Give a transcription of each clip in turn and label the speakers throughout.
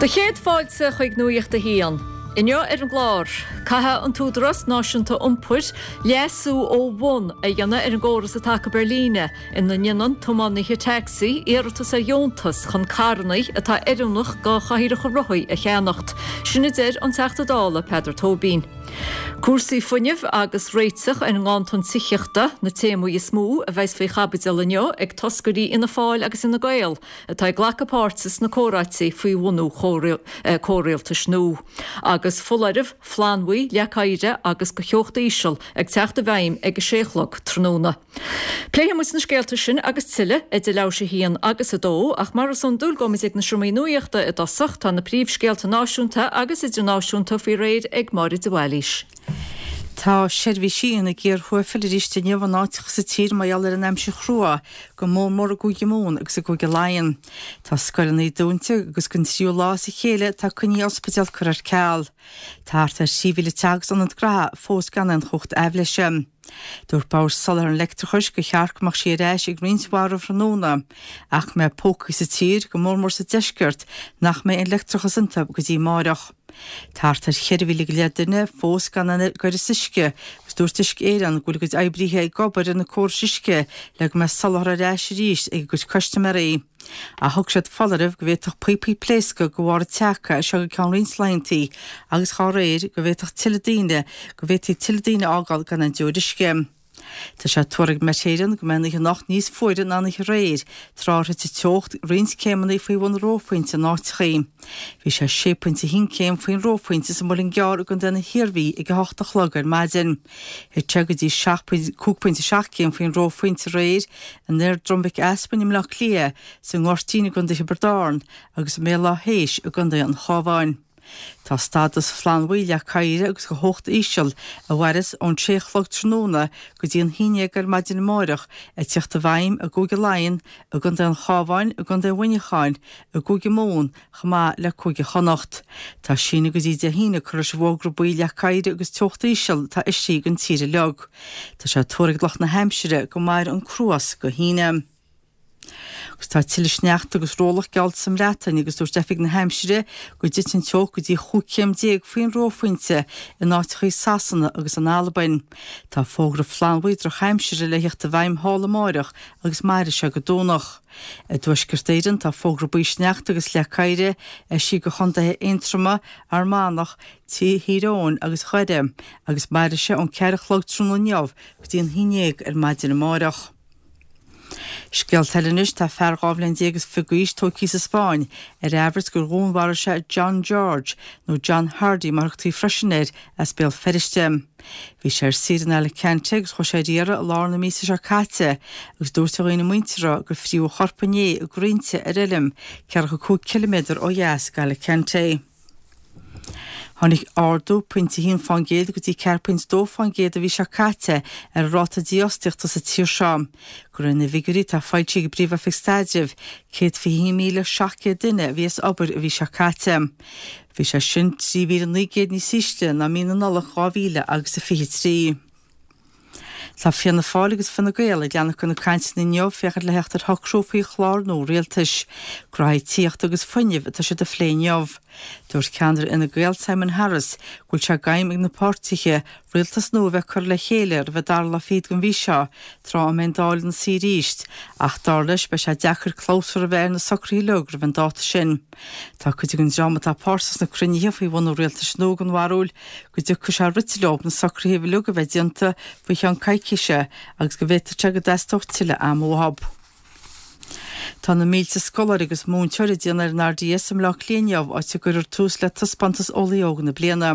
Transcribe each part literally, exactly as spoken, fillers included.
Speaker 1: Do chéad fáilte chuig Nuacht a hAon. Inniu ar an gclár, caithfidh an tÚdarás Náisiúnta Iompair leasú ó bhun a dhéanamh ar an gcóras atá acu ar líne ina ndéanann tiománaithe tacsaí iarratas ar dheontas chun carranna atá oiriúnach do chathaoireacha rothaí a cheannacht. Sin a deir an Teachta Dála Peadar Tóibín. Cúrsaí fuinnimh agus réiteach ar an nganntan tithíochta na téamaí is mó a bheas faoi chaibidil inniu ag toscairí Fhianna Fáil agus Fhine Gael atá ag glacadh páirte sna comhráití faoi bhunú comhrialtais nua. Agus foláireamh flannbhuí, leac oighir agus do theocht íseal ag teacht i bhfeidhm ag a sé a chlog tráthnóna. Pléifidh muid na scéalta sin agus tuilleadh idir leathuair tar éis a haon agus a dó, ach mar is iondúil gabhfaimid ag na seomraí nuachta i dtosach tá na príomhscéalta náisiúnta agus idirnáisiúnta faoi réir ag Máire de Bhailís.
Speaker 2: Tá seirbhísí ina gcíor thuaifil arís inniu in áiteacha sa tír mar gheall ar an aimsir chrua go mór mór i gCúige Mumhan agus i gCúige Laighean. Tá scoileanna dúnta agus don tríú lá as a chéile tá coinní ospidéal curtha ar ceal. Tá thart ar trí mhíle teach agus ionad gnaithe fós gan aon chumhacht aibhléise. Dúirt Bord Soláthair an Leictreachais gur cheart go mbeadh sí ar ais ag roinnt mhaith roimh thráthnóna, ach go mbeidh pócaí sa tír go mór mór sa deisceart nach mbeidh an leictreachas iontu go dtí amárach. Tá thart ar cheithre mhíle go leith duine fós gan aon ghairtheas uisce agus dúirt Uisce Éireann go bhfuil a gcuid oibrithe ag obair ar na córais uisce le go mbeidh soláthar ar ais arís ag a gcuid custaiméirí. Ach thug siad foláireamh go bhféadfadh píopaí pléascadh de bharr an tseaca seo go ceann roinnt laethanta agus dá réir go bhféadfadh tuilleadh daoine go bhféadfaí tuilleadh daoine a fhágáil gan aon deoir uisce. Tá sé tuartha ag Met Éireann go mbeidh an oíche anocht níos fuaire ná an oíche aréir, tráth ar thit an teocht roinnt céimeanna faoi bhun reophointe in áiteachaí. Bhí sé sé pointe a haon céim faoin reophointe sa Muileann gCearr i gContae na hIarmhí ag a hocht a chlog ar maidin. Thit sé go dtí cúig pointe seacht céim faoin reophointe aréir in Aer Droim Mhic Easmainn i mBleá Cliath, sa nGoirtín i gContae Thiobraid Árann agus i mBéal Átha hÉis i gContae an Chabháin. Tá stádas flannbhuí leac oighir agus de theocht íseal a mhairfeas ón sé a chlog tráthnóna go dtí an haon déag ar maidin amárach ag teacht i bhfeidhm i gCúige Laighean, i gContae an Chabháin, i gContae Mhuineacháin, i gCúige Mumhan, chomh maith le Cúige Chonnacht. Tá síneadh go dtí Dé hAoine curtha leis an bhfógra buí leac oighir agus teocht íseal atá eisithe don tír uilig. Tá sé tuartha ag lucht na haimsire go mairfidh an cruas go hAoine. Agus tá tuilleadh sneachta agus rollach geallta sa mBreatain agus dúirt oifig na haimsire go dtitfidh an teocht go dtí chúig chéim déag faoin reophointe in áiteachaí Sasana agus in Albain. Tá fógra flannbhuí drochaimsire le theacht i bhfeidhm thall amárach agus mairfidh sé go Domhnach. I dTuaisceart Éireann tá fógra buí sneachta agus leac oighir eisithe do chontaetha Aontroma, Fhear Manach, Tír Eoghain agus Dhoire agus mairfidh sé ón ceathair a chlog tráthnóna inniu go dtí an haon déag ar maidin amárach. Scéalta eile anois tá fear dhá bhliain déag is fiche d'aois tógtha sa Spáinn ar amhras gur dhúnmharaigh sé John George nó John Hardy mar a thugtaí freisin air as Béal Feirste. Bhí sé ar saoire in Alicante agus chuaigh sé ar iarraidh i lár na míosa seo caite agus dúirt a dhaoine muinteartha gur fríodh a chorp inné i gcrainnte ar fheilm ceathracha cúig ciliméadar ó dheas d'Alicante. Tháinig ardú pointe a haon fán gcéad go dtí ceathair pointe dó fán gcéad an mhí seo caite ar an ráta dífhostaíochta sa tír seo. De réir na bhfigiúirí atá foilsithe ag an bPríomh-Oifig Staidrimh, céad fiche haon míle seacht gcéad duine a bhí as obair an mhí seo caite. Bhí sé sin trí mhíle naoi gcéad níos ísle ná mí na Nollag dhá mhíle agus a fiche trí. Tá Fianna Fáil agus Fine Gael ag leanacht de na cainteanna inniu féachaint le theacht ar shocrú faoi chlár nua rialtais. Gnoithí tithíochta agus fuinnimh atá siad a phlé inniu. Dúirt ceannaire Fhine Gael Simon Harris go bhfuil sé d'aidhm ag na páirtithe rialtas nua a bheith curtha le chéile roimh an dara lá fichead den mhí seo tráth a mbeidh an Dáil ina suí arís ach dar leis beidh sé deacair clabhsúr a bheith ar na socruithe uilig roimh an dáta sin. Tá cuid den dream atá páirteach sna cruinnithe faoi bhunú rialtais nua den bharúil go dtiocfaidh sé rite leo na socruithe uilig a bheith déanta faoi cheann coicíse agus go bhféadfadh sé go dteastódh tuilleadh ama uathu. Tá na mílte scoláire agus múinteoir ag déanamh ar an RDS i mBleá Cliath inniu áit a gcuirfear tús le taispeántas Eolaí Óg na bliana.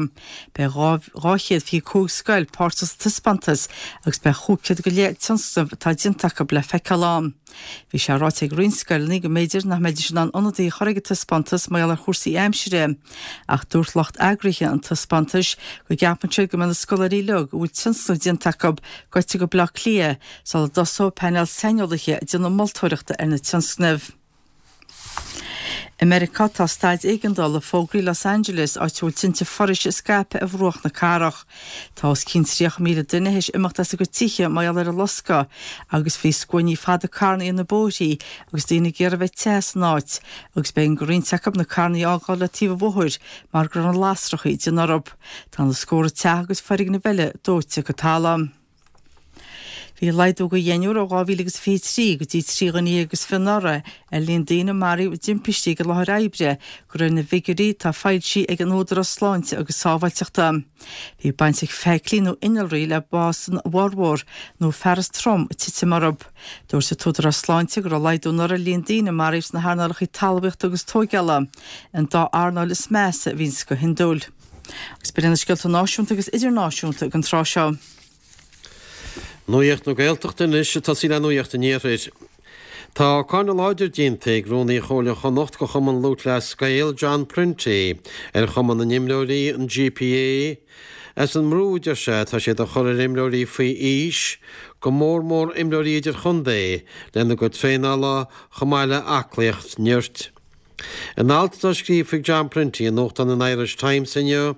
Speaker 2: Beidh dhá chéad fiche cúig scoil páirteach sa taispeántas agus beidh chúig chéad go leith tionscnamh atá déanta acu le feiceáil ann. Bhí sé ráite ag roinnt scoileanna go mb'fhéidir nach mbeidís in ann ionadaí a chur ag an taispeántas mar gheall ar chúrsaí aimsire, ach dúirt lucht eagraithe an taispeántais go gceapann siad go mbeidh na scoláirí uilig a bhfuil tionscnamh déanta acu gaibhte go Bleá Cliath sula dtosóidh painéal saineolaithe ag déanamh moltóireachta ar na tionscnaimh. I Meiriceá tá staid éigeandála fógraithe i Los Angeles, áit a bhfuil tinte foraoise ag scaipeadh ar bhruach na cathrach. Tá os cionn tríocha míle duine théis imeacht as a gcuid tithe mar gheall ar an loscadh agus bhí scuainí fada carranna ar na bóithrí agus daoine ag iarraidh bheith te san áit agus b'éigean do roinnt acu na carranna a fhágáil le taobh an bhóthair mar go raibh na lasracha ag déanamh orthu. Tá na scórtha teach agus foirgnimh eile dóite go talamh. Bhí laghdú de dheichniúr ó dhá mhíle agus fiche a trí go dtí trí dhuine dhéag agus fiche anuraidh ar líon daoine a maraíodh i dtimpistí ag an láthair oibre, de réir na bhfigiúirí atá foilsithe ag an Údarás Sláinte agus Sábháilteachta. Bhí baint ag feithiclí nó innealraí le bás an bhformhór nó fearas trom ag titim orthu. Dúirt an tÚdarás Sláinte go raibh laghdú anuraidh ar líon daoine a maraíodh sna hearnálacha talmhaíochta agus tóigeála, an dá earnáil is measa a bhíonns go hiondúil. Agus b'in iad na scéalta náisiúnta agus idirnáisiúnta ag an tráth seo.
Speaker 3: Nuacht na Gaeltachta anois ag tosaí le Nuacht an Iarthair. Tá cáineadh láidir déanta ag Rúnaí Chomhairle Chonnacht go Chumann Lúthchleas Gael, John Prenty, ar Chumann na nImreoirí, an GPA, as an mbrú, a deir sé, atá siad a chur ar imreoirí faoi aois, go mór mór imreoirí idirchontae, lena gcuid traenála chomh maith le aclaíocht nirt. In alt atá scríofa ag John Prenty i nuachtán an Irish Times inniu,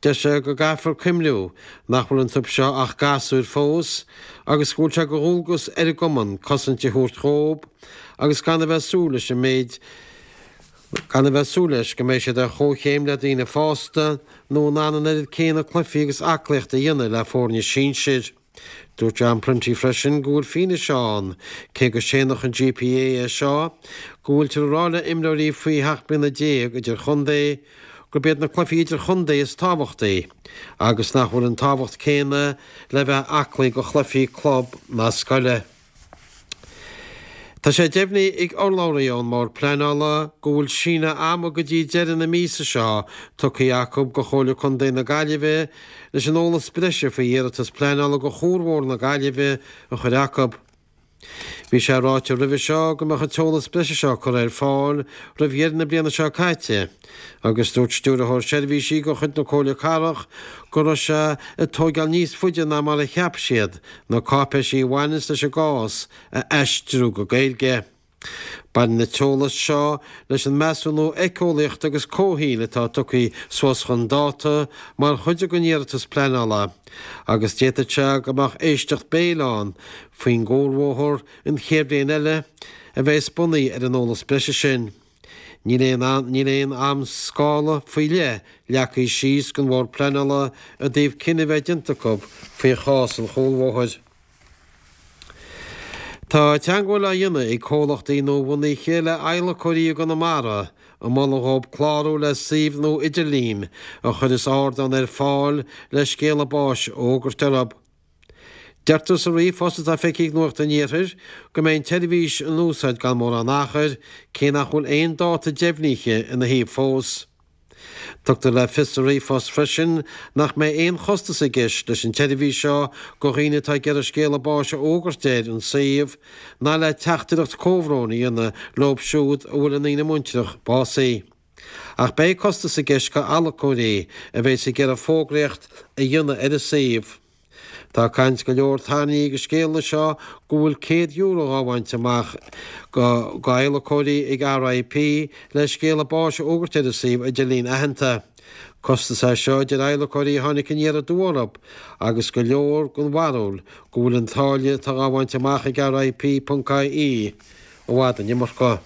Speaker 3: deir sé go gcaithfear cuimhniú nach bhfuil iontu seo ach gasúir fós agus go bhfuil sé de dhualgas ar an gcumann cosaint a thabhairt dhóib agus gan a bheith ag súil leis an méid gan a bheith ag súil leis go mbeidh siad ar chomhchéim le daoine fásta nó in ann an oiread céanna cluichí agus aclaíochta a dhéanamh le foirne sinsir. Dúirt John Prenty freisin go bhfuil fianaise ann, cé go séanfadh an GPA é seo, go bhfuiltear ag rá le imreoirí faoi sheacht mbliana déag idirchontae gurb iad na cluichí idirchontae is tábhachtaí agus nach bhfuil an tábhacht céanna le bheith aclaí go chluichí club ná scoile. Tá sé deimhnithe ag urlabhraí ón mBord Pleanála go bhfuil síneadh ama go dtí deireadh na míosa seo tugtha acu go Chomhairle Contae na Gaillimhe leis an eolas breise faoi iarratas pleanála go Chuarbhóthar na Gaillimhe a chur acu. Bhí sé ráite roimhe seo go mbeadh an t-eolas breise seo curtha ar fáil roimh dheireadh na bliana seo caite agus dúirt Stiúrthóir Seirbhísí de chuid na Comhairle Cathrach go raibh sé ag tóigeáil níos faide ná mar a cheap siad na cáipéisí a bhaineanns leis an gcás a aistriú go Gaeilge. Baineann an t-eolas seo leis an measúnú éiceolaíochta agus comhshaoil atá tugtha suas chun dáta mar chuid den iarratas pleanála agus d'fhéadfadh sé go mbeadh éisteacht béil ann faoin gcuarbhóthar an chéad bhliain eile a bheas bunaithe ar an eolas breise sin. Níl aon níl aon am-scála faoi leith leagtha síos ag an Bhord Pleanála i dtaobh cinneadh a bheith déanta acu faoi chás an chúlbhóthair. Tá teagmháil á dhéanamh ag comhlachtaí nuabhunaithe le adhlacóirí i gConamara ag moladh dhóibh clárú le suíomh nua idirlín a chuireas ardán ar fáil le scéala báis a fhógairt orthu. Deirtear sa ríomhphost atá feicthe ag Nuacht an Iarthair go mbeidh an tseirbhís in úsáid gan mórán achair, cé nach bhfuil aon dáta deimhnithe ina thaobh fós. Tugtar le fios sa ríomhphost freisin nach mbeidh aon chostas i gceist leis an tseirbhís seo go dhaoine atá ag iarraidh scéala báis a fhógairt ar an suíomh ná le teachtaireacht comhbhróin a dhéanamh leo siúd a bhfuil a ndaoine muinteartha básaithe. Ach beidh costas i gceist go adhlacóirí a bheas ag iarraidh fógraíocht a dhéanamh ar an suíomh. Tá caint go leor tarraingthe ag an scéala seo go bhfuil céad euro á bhaint amach go adhlacóirí ag RIP le scéala báis a fhógairt ar an suíomh idirlín aitheanta. Costas é seo a deir adhlacóirí a tháinig aniar aduaidh orthu agus go leor den bharúil go bhfuil an táille atá á bhaint amach ag RIP ponc IE i bhfad an iomarca.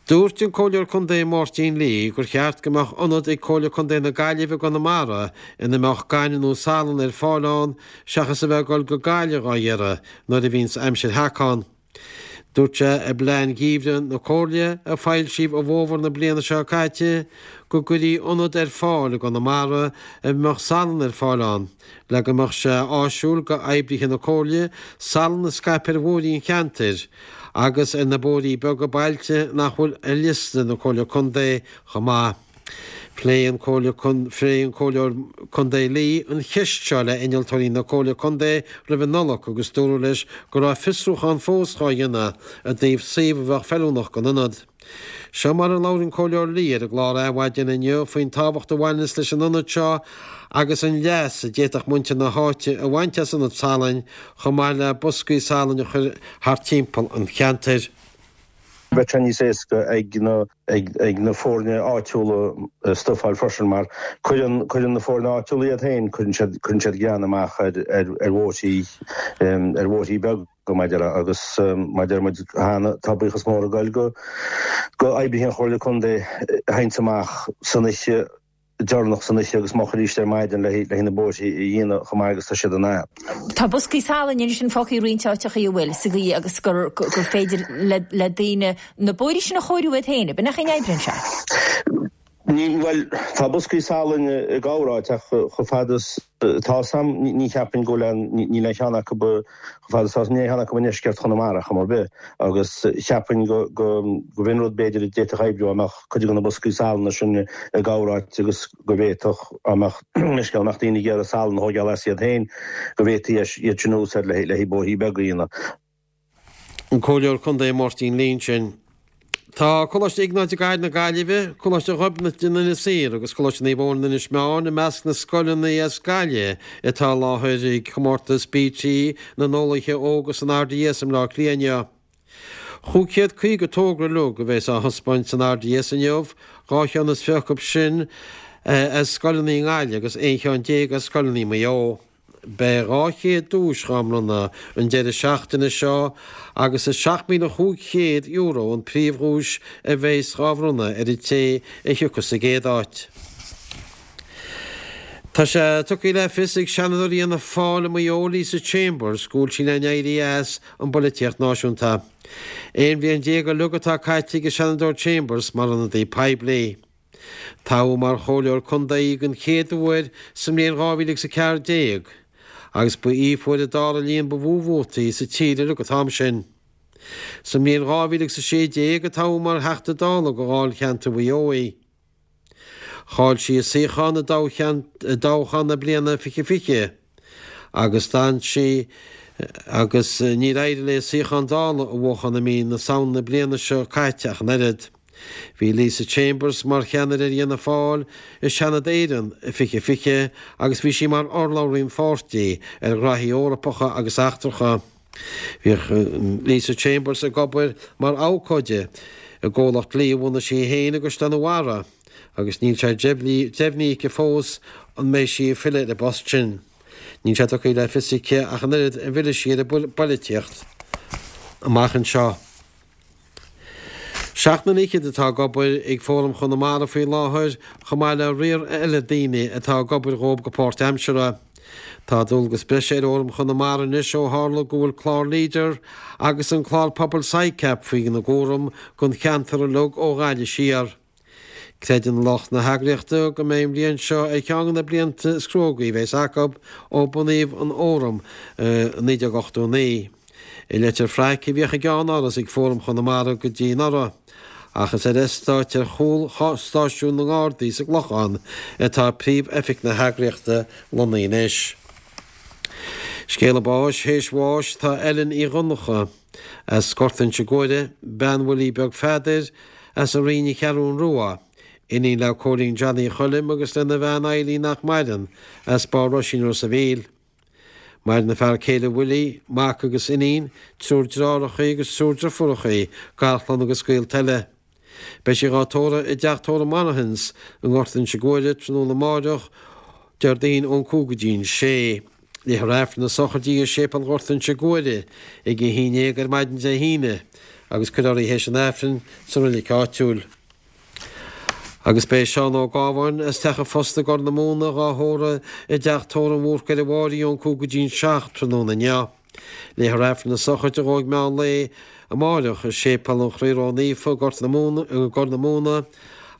Speaker 3: Dúirt an Comhairleoir Contae Máirtín Lee gur cheart go mbeadh ionad ag Comhairle Contae na Gaillimhe i gConamara ina mbeadh gaineamh nó salann ar fáil ann seachas a bheith ag dul go Gaillimh dhá iarraidh nuair a bhíonns aimsir theac ann. Dúirt sé i bplean geimhridh na Comhairle a foilsíodh i bhfómhar na bliana seo caite go gcuirfí ionad ar fáil i gConamara a mbeadh salann ar fáil ann le go mbeadh sé áisiúil go oibrithe na Comhairle salann a scaipeadh ar bhóithrí an cheantair agus ar na bóithrí beaga bailte nach bhfuil ar liosta na Comhairle Contae chomh maith. Phléigh an Comhairleoir Contae Lee an cheist seo le innealtóirí na Comhairle Contae roimh an Nollaig agus dúradh leis go raibh fiosrúchán fós dhá dhéanamh i dtaobh suíomh a bheadh feiliúnach don ionad. Seo mar a labhair an Comhairleoir Lee ar an gclár Adhmhaidin inniu faoin tábhacht a bhaineanns leis an ionad seo agus an leas a d'fhéadfadh muintir na háite a bhaint as ionad salainn chomh maith le boscaí salainn a chur thart timpeall an cheantair.
Speaker 4: Bheadh sé níos éasca ag na ag ag na foirne áitiúla stuif a fháil freisin mar cuireann cuireann na foirne áitiúla iad féin cuireann siad cuireann siad grean amach ar ar ar bhóithrí ar bhóithrí beaga mar a déarfá agus mar a deir muid cheana tá buíochas mór ag goil go go oibrithe an Chomhairle Contae a théanns amach san oíche deireanach san oíche agus moch arís ar maidin le le na bóithrí a dhéanamh chomh maith agus tá siad in ann.
Speaker 5: Tá boscaí salainn ansin fágtha i roinnt áiteacha a bhfuil sa gcaoi agus gur gur féidir le le daoine na bóithrí sin a chóiriú iad féin, b'in nach oibríonn sé.
Speaker 4: Ní bhuel tá boscaí salainn i gcorráit ach chomh fada is tá sam ní cheapaim go bhfuil níl aon cheann acu chomh fada is tá níl aon cheann acu i ndeisceart Chonamara chor ar bith agus cheapaim go go go bhfin rud b'fhéidir a d'fhéadfadh oibriú amach cuid de na boscaí salainn sin i gcorráit agus go bhféadfadh amach leis go mbeadh daoine ag iarraidh salann a thógáil as iad féin go bhféadfaí iad sin a úsáid le le bóithrí beaga a dhéanamh.
Speaker 3: An Comhairleoir Contae Máirtín Lynch sin. Tá Coláiste Iognáid i gCathair na Gaillimhe, Coláiste Ghobnait in Inis Oírr agus Coláiste Naomh Eoin in Inis Meáin i measc na scoileanna as Gaillimh atá i láthair ag comórtas BT na n-eolaithe óga san RDS i mBleá Cliath inniu. Chúig chéad caoga togra uilig a bheas á thaispeáint san RDS inniu, dhá cheann is fiche acu sin as scoileanna i nGaillimh agus aon cheann déag as scoileanna i Maigh Eo. Beidh dhá chéad duais dhá mbronnadh an deireadh seachtaine seo agus is seacht míle chúig chéad euro an príomhdhuais a bheas dhá bhronnadh ar an té a thiocfas sa gcéad áit. Tá sé tugtha le fios ag Seanadóir Fhianna Fáil i Maigh Eo Lisa Chambers go bhfuil sí le n-éirí as an bpolaitíocht náisiúnta. Aon bhliain déag uilig atá caite ag an Seanadóir Chambers mar ionadaí poiblí. Toghadh mar chomhairleoir contae den chéad uair sa mbliain dhá mhíle agus a ceathair déag agus ba í a fuair an dara líon ba mhó vótaí sa tír uilig an t-am sin. Sa mbliain dhá mhíle agus a sé déag a toghadh mar Theachta Dála do Dháilcheantar Mhaigh Eo í. Chaill sí a suíochán i dtoghchán na bliana fiche fiche agus d'fhan sí agus níor éirigh léi suíochán Dála a bhuachan i mí na Samhna na bliana seo caite ach an oiread. Bhí Lisa Chambers mar cheannaire ar Fhianna Fáil i Seanad Éireann i fiche fiche agus bhí sí mar urlabhraí an pháirtí ar ghraithí Eorpacha agus eachtracha. Bhíodh Lisa Chambers ag obair mar abhcóide i gcomhlacht dlí a bhunaigh sí féin i gCaisleán an Bharraigh agus níl sé deimhnithe aici fós an mbeidh sí ag filleadh ar an bpost sin. Níl sé tugtha le fios aici ach an oiread an bhfillfidh sí ar an bpolaitíocht amach anseo. Seacht nduine fhichead atá ag obair ag Fóram Chonamara faoi láthair, chomh maith le riar eile daoine atá ag obair dhóibh go páirtaimseartha. Tá dualgas breise ar Fhóram Chonamara anois ó tharla go bhfuil clár Leader agus an clár pobail SICAP faoina gcúram don cheantar uilig ó Ghaillimh siar. Creideann lucht na heagraíochta go mbeidh an bhliain seo ar cheann de na blianta is cruógaí a bheas acu ó bunaíodh an Fóram i naoi déag ochtó a naoi. I Leitir Fraic a bhíodh a gceannáras ag Fóram Chonamara go dtí anuraidh, ach is ar eastát ar chúl stáisiún na nGardaí sa gClochán atá príomh-oifig na heagraíochta lonnaithe anois. Scéala báis théis bháis tá Ellen Uí Dhonncha as Gort Inse Guaire, bean Willie Beag Pheadair, as an Rinn an Cheathrún Rua, iníon le Cóilín Johnny Choilm agus lena bhean Eileen nach maireann, as Barr Roisín Ros a' Mhíl. Maireann a fear céile Willie, mac agus iníon, triúr deartháireacha agus triúr deirfiúracha, garchlann agus gaolta eile. Beidh sí dhá tórramh i dteach tórraimh Monahans i nGort Inse Guaire tráthnóna amáireach, Déardaoin ón cúig go dtí'n sé. Léifear Aifreann na sochraide i Séipéal Ghort Inse Guaire ag a haon déag ar maidin Dé hAoine agus cuirfear í théis an Aifrinn sa roilig áitiúil. Agus beidh Seán Ó Gábháin as Teach an Phosta i gCorr na Móna dhá thórramh i dteach tórraimh an Bhúrcaigh ar an Bháirí ón cúig go dtí'n seacht tráthnóna inniu. Léifear Aifreann na sochraide dhó ag meán lae amáireach i Séipéal an Chroí Ró-Naofa i nGort na Móna, i gCorr na Móna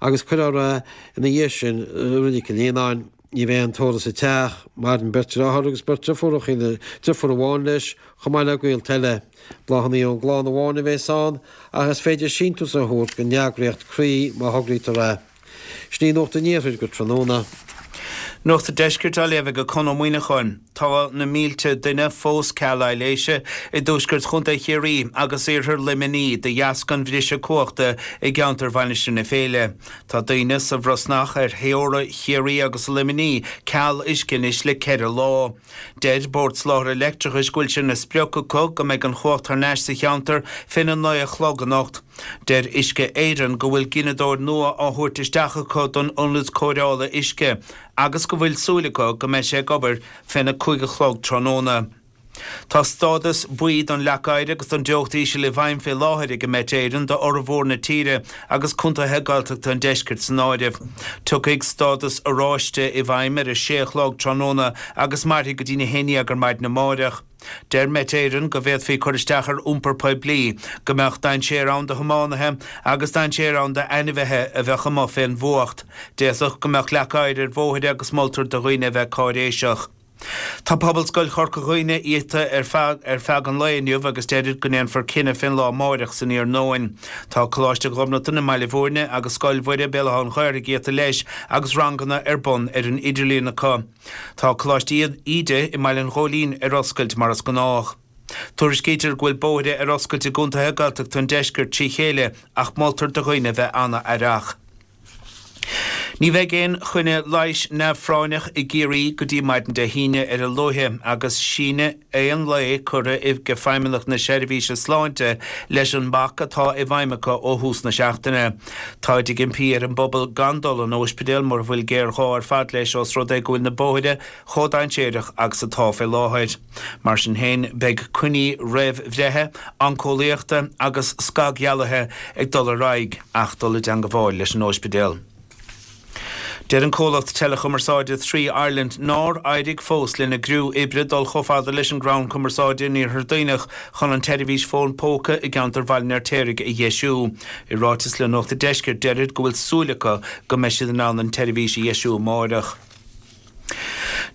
Speaker 3: agus cuirfear é ina dhiaidh sin i Roilig Chill Líonáin. Ní bheidh aon tórramh sa teach. Maireann beirt deartháir agus beirt deirfiúracha, deirfiúr amháin leis, chomh maith le gaolta eile. Bláthanna ón gclann amháin a bheas ann, ach is féidir síntiús a thabhairt don eagraíocht Croí má thograítear é. Sin í Nuacht an Iarthair go tráthnóna.
Speaker 6: Nuacht an Deiscirt á léamh ag Conn Ó Muíneacháin. Tá na mílte duine fós ceal aibhléise i dtuaisceart Chontae Chiarraí agus iarthar Luimnigh de dheasca an bhriseadh cumhachta i gceantar Mhainistir na Féile. Tá daoine sa Bhrosnach ar theora Chiarraí agus Luimnigh ceal uisce anois le ceithre lá. Deir Bord Soláthair Leictreachais go bhfuil sé ina sprioc acu go mbeidh an chumhacht thar n-ais sa cheantar féna naoi a chlog anocht. Deir Uisce Éireann go bhfuil gineadóir nua á thabhairt isteach acu don ionad cóireála uisce agus go bhfuil súil acu go mbeidh sé ag obair féna cúig a chlog tráthnóna. Tá stádas buí don leac oighir agus don teocht íseal i bhfeidhm fé láthair ag Met Éireann do fhormhór na tíre agus contaetha Gaeltachta an deiscirt san áireamh. Tiocfaidh stádas oráiste i bhfeidhm ar a sé a chlog tráthnóna agus mairfidh go dtí a haon déag ar maidin amáireach. Deir Met Éireann go bhféadfaí cur isteach ar iompar poiblí, go mbeadh dainséar ann do thiománaithe agus dainséar ann d'ainmhithe a bheadh amuigh fén bhfuacht. D'fhéadfadh go mbeadh leac oighir ar bhóithre agus moltar do dhaoine a bheith cáiréiseach. Tá Pobalscoil Chorca Dhuibhne iata ar feadh ar feadh an lae inniu agus deirtear go ndéanfar cinneadh fén lá amáireach san iarnóin. Tá Coláiste Ghobnatan i mBaile Bhúirne agus Scoil Mhuire Béal Átha an Ghaorthaidh iata leis agus ranganna ar bun ar an idirlíon acu. Tá Coláiste Íde i mBaile an Ghóilín ar oscailt mar is gnách. Tuairiscítear go bhfuil bóithre ar oscailt i gcontaetha Gaeltachta an deiscirt trí chéile ach moltar do dhaoine bheith an-aireach. Ní bheidh aon choinne leighis neamhphráinneach i gCiarraí go dtí maidin Dé hAoine ar a luaithe agus síneadh aon lae curtha ag Feidhmeannacht na Seirbhíse Sláinte leis an mbac atá i bhfeidhm acu ó thús na seachtaine. Táid ag impí ar an bpobal gan dul an óispidéal mura bhfuil géarghá ar fad leis os rud é go bhfuil na bóithre chomh dainséarach agus atá fé láthair. Mar sin féin beidh coinní roimh bhreithe, oinceolaíochta agus scagdhealaithe ag dul ar aghaidh ach dul i dteangabháil leis an óispidéal. Deir an comhlacht teileachumarsáide Three Ireland nár éirigh fós lena gcriú oibre dul chomh fada leis an gcrann cumarsáide in Iarthar Duibhneach chun an tseirbhís fón póca i gceantar Bhaile an Fheirtéaraigh a dheisiú. I ráiteas le Nuacht an Deiscirt deirid go bhfuil súil acu go mbeidh siad in ann an tseirbhís a dheisiú amáireach.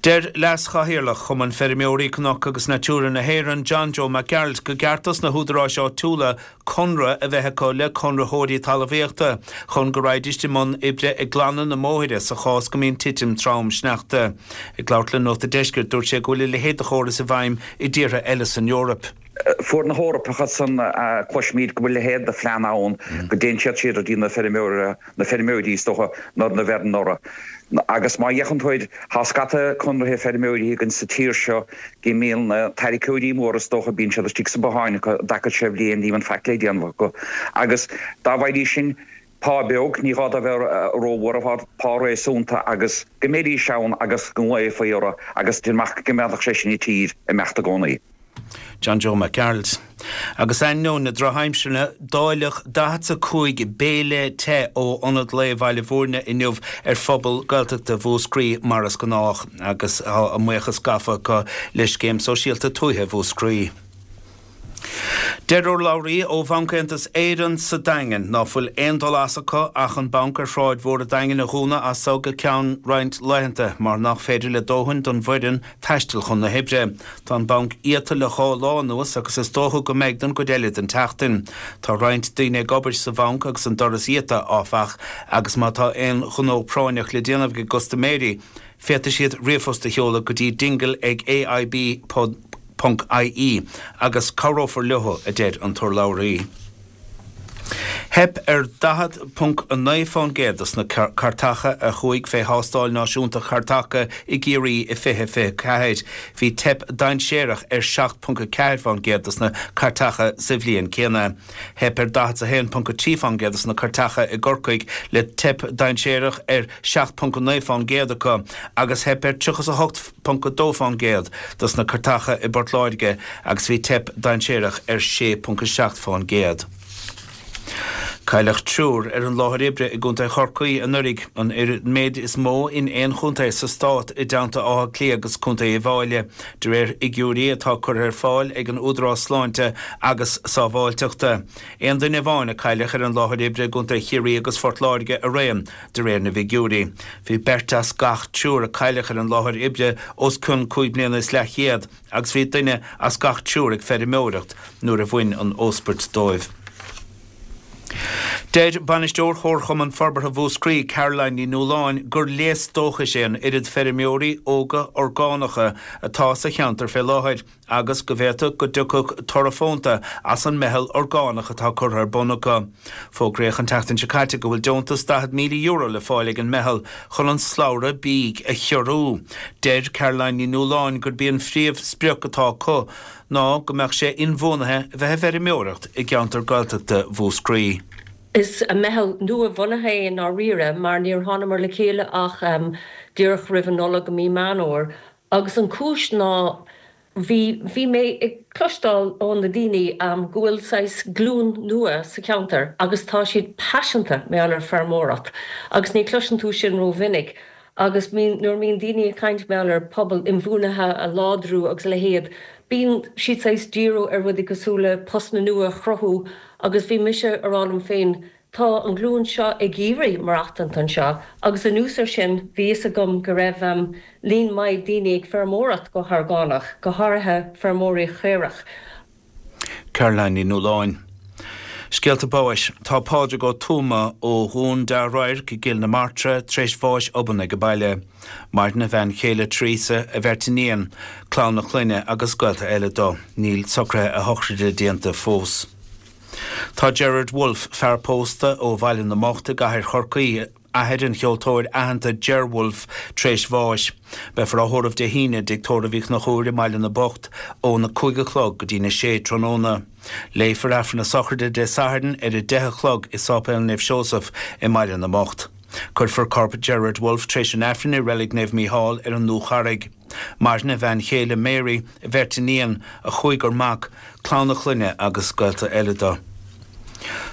Speaker 6: Deir Leas-Chathaoirleach Chumann Feirmeoirí Cnoc agus Natura na hÉireann John Joe Mac Gearailt go gceart dos na húdaráis áitiúla conradh a bheith acu le conraitheoirí talmhaíochta chun go raghaidís i mbun oibre ag glanadh na mbóithre sa chás go mbíonn titim trom sneachta. Ag labhairt le Nuacht an Deiscirt dúirt sé go bhfuil a leithéid de chóras i bhfeidhm i dtíortha eile san Eoraip.
Speaker 7: Fuair na hEorpacha san cloisimid go bhfuil a leithéid de phlean ann go dtéann siad siar go dtí na feirmeoirí na feirmeoirí is dócha nuair na bheireann orthu. Agus má fhéachann tú air, tá scata conraithe feirmeoirí againn sa tír seo go mbíonn na tarraiceoirí móra is dócha, bíonn siad istigh sa botháin acu i dtaca sé bhliain, ní bhíonn faic le déanamh acu. Agus dá bhfaighidís sin pá beag, ní gá dó bheith rómhór, pá réasúnta agus go mbeidís ann agus go nglaofaí orthu agus déan amach go mbeadh sé sin i tír imeacht i gcónaí.
Speaker 6: John Joe Mac Gearailt. Agus ainneoin na drochaimsire, dáileadh daichead 's a cúig béile te ó Ionad Lae Bhaile Bhúirne inniu ar phobal Gaeltachta Mhúscraí mar is gnách agus tá a mbuíochas gafa acu le Scéim Sóisialta Tuaithe Mhúscraí. Deir urlabhraí ó Bhanc Aontas Éireann sa Daingean ná fuil aon dul as acu ach an banc ar Shráid Mhór an Daingin a dhúnadh as so go ceann roinnt laethanta mar nach féidir le dóthain don bhfoireann taisteal chun na hoibre. Tá an banc iata le dhá lá anuas agus is dócha go mbeidh don gcuid eile den tseachtain. Tá roinnt daoine ag obair sa bhanc agus an doras iata, áfach, agus má tá aon ghnó práinneach le déanamh ag gcustaiméirí, féadfaidh siad ríomhphost a sheoladh go dtí dingle ag AIB ponc ie agus cabhrófar leo, a deir an t-urlabhraí. Theip ar daichead ponc a naoi fán gcéad dos na cairteacha a chuaigh fé thástáil náisiúnta chairteacha i gCiarraí i fiche fiche ceathair. Bhí teip dainséarach ar seacht ponc a ceathair fán gcéad dos na cairteacha sa bhliain céanna. Theip ar daichead a haon ponc a trí fán gcéad dos na cairteacha i gCorcaigh le teip dainséarach ar seacht ponc a naoi fán gcéad acu agus theip ar tríocha a hocht ponc a dó fán gcéad dos na cairteacha i bPort Láirge agus bhí teip dainséarach ar sé ponc a seacht fán gcéad. Cailleadh triúr ar an láthair oibre i gContae Chorcaí anuraidh, an méid is mó in aon chontae sa stát i dteannta Átha Cliath agus Contae Uíbh Fhailí, de réir fhigiúirí atá curtha ar fáil ag an Údarás Sláinte agus Sábháilteachta. Aon duine amháin a cailleadh ar an láthair oibre i gContae Chiarraí agus Phort Láirge araon, de réir na bhfigiúirí. Bhí beirt as gach triúr a cailleadh ar an láthair oibre os cionn cúig bliana is leathchéad agus bhí duine as gach triúr ag feirmeoireacht nuair a bhain an óspairt dóibh. Deir Bainisteoir Chomharchumann Forbartha Mhúscraí, Caroline Ní Nualláin, gur léas dóchais é an oiread feirmeoirí óga orgánacha atá sa cheantar fé láthair agus go bhféadfadh go dtiocfadh toradh fónta as an meitheal orgánach atá curtha ar bun acu. Fógraíodh an tseachtain seo caite go bhfuil deontas daichead míle euro le fáil ag an meitheal chun an slabhra bídh a chiorrú. Deir Caroline Ní Nualláin gurb í an phríomhsprioc atá acu ná go mbeadh sé inbhuanaithe a bheith ag feirmeoireacht i gceantar Gaeltachta Mhúscraí.
Speaker 8: Is meitheal nua-bhunaithe é i ndáiríre mar níor thánamar le chéile ach díreach roimh an Nollaig i mí Meán Fhómhair agus an chúis ná bhí bhí mé ag cloisteáil ó na daoine go bhfuil saghas glúin nua sa cheantar agus tá siad paiseanta mar gheall ar feirmeoireacht agus ní chloiseann tú sin rómhinic agus nuair a bhíonn daoine ag caint mar gheall ar pobal inbhuanaithe a láidriú agus a leithéid bíonn siad saghas díriú ar rudaí cosúil le postanna nua a chruthú agus bhí mise ag rá liom féin tá an glúin seo ag iarraidh maireachtaint anseo agus anuas ar sin bhí fhios agam go raibh líon maith daoine ag feirmeoireacht go horgánach, go háirithe feirmeoirí caorach.
Speaker 6: Caroline Ní Nualláin. Scéalta báis. Tá Pádraig Ó Tuama ó Dhún Dea-Radharc i gCill na Martra tar éis bháis obann ag baile. Maireann a bhean chéile Teresa, a bheirt iníon, clann a chlainne agus gaolta eile dó. Níl socruithe a shochraide déanta fós. Tá Gerard Wolfe, fear pósta ó Bhaile na mBocht i gcathair Chorcaí, athair an cheoltóir aitheanta Ger Wolfe, tar éis bháis. Beifear á thórramh Dé hAoine i dTigh Tórraimh Uí Chonchúir i mBaile na mBocht óna cúig a chlog go dtína sé tráthnóna. Léifear Aifreann na sochraide Dé Sathairn ar a deich a chlog i Sáipéal Naomh Seosamh i mBaile na mBocht. Cuirfear corp Gerard Wolfe tar éis an Aifrinn i Reilig Naomh Mícheál ar an Dúcharraig. Maireann a bhean chéile Mary, a bheirt iníon, a chúigear mac, clann a chlainne agus gaolta eile dó.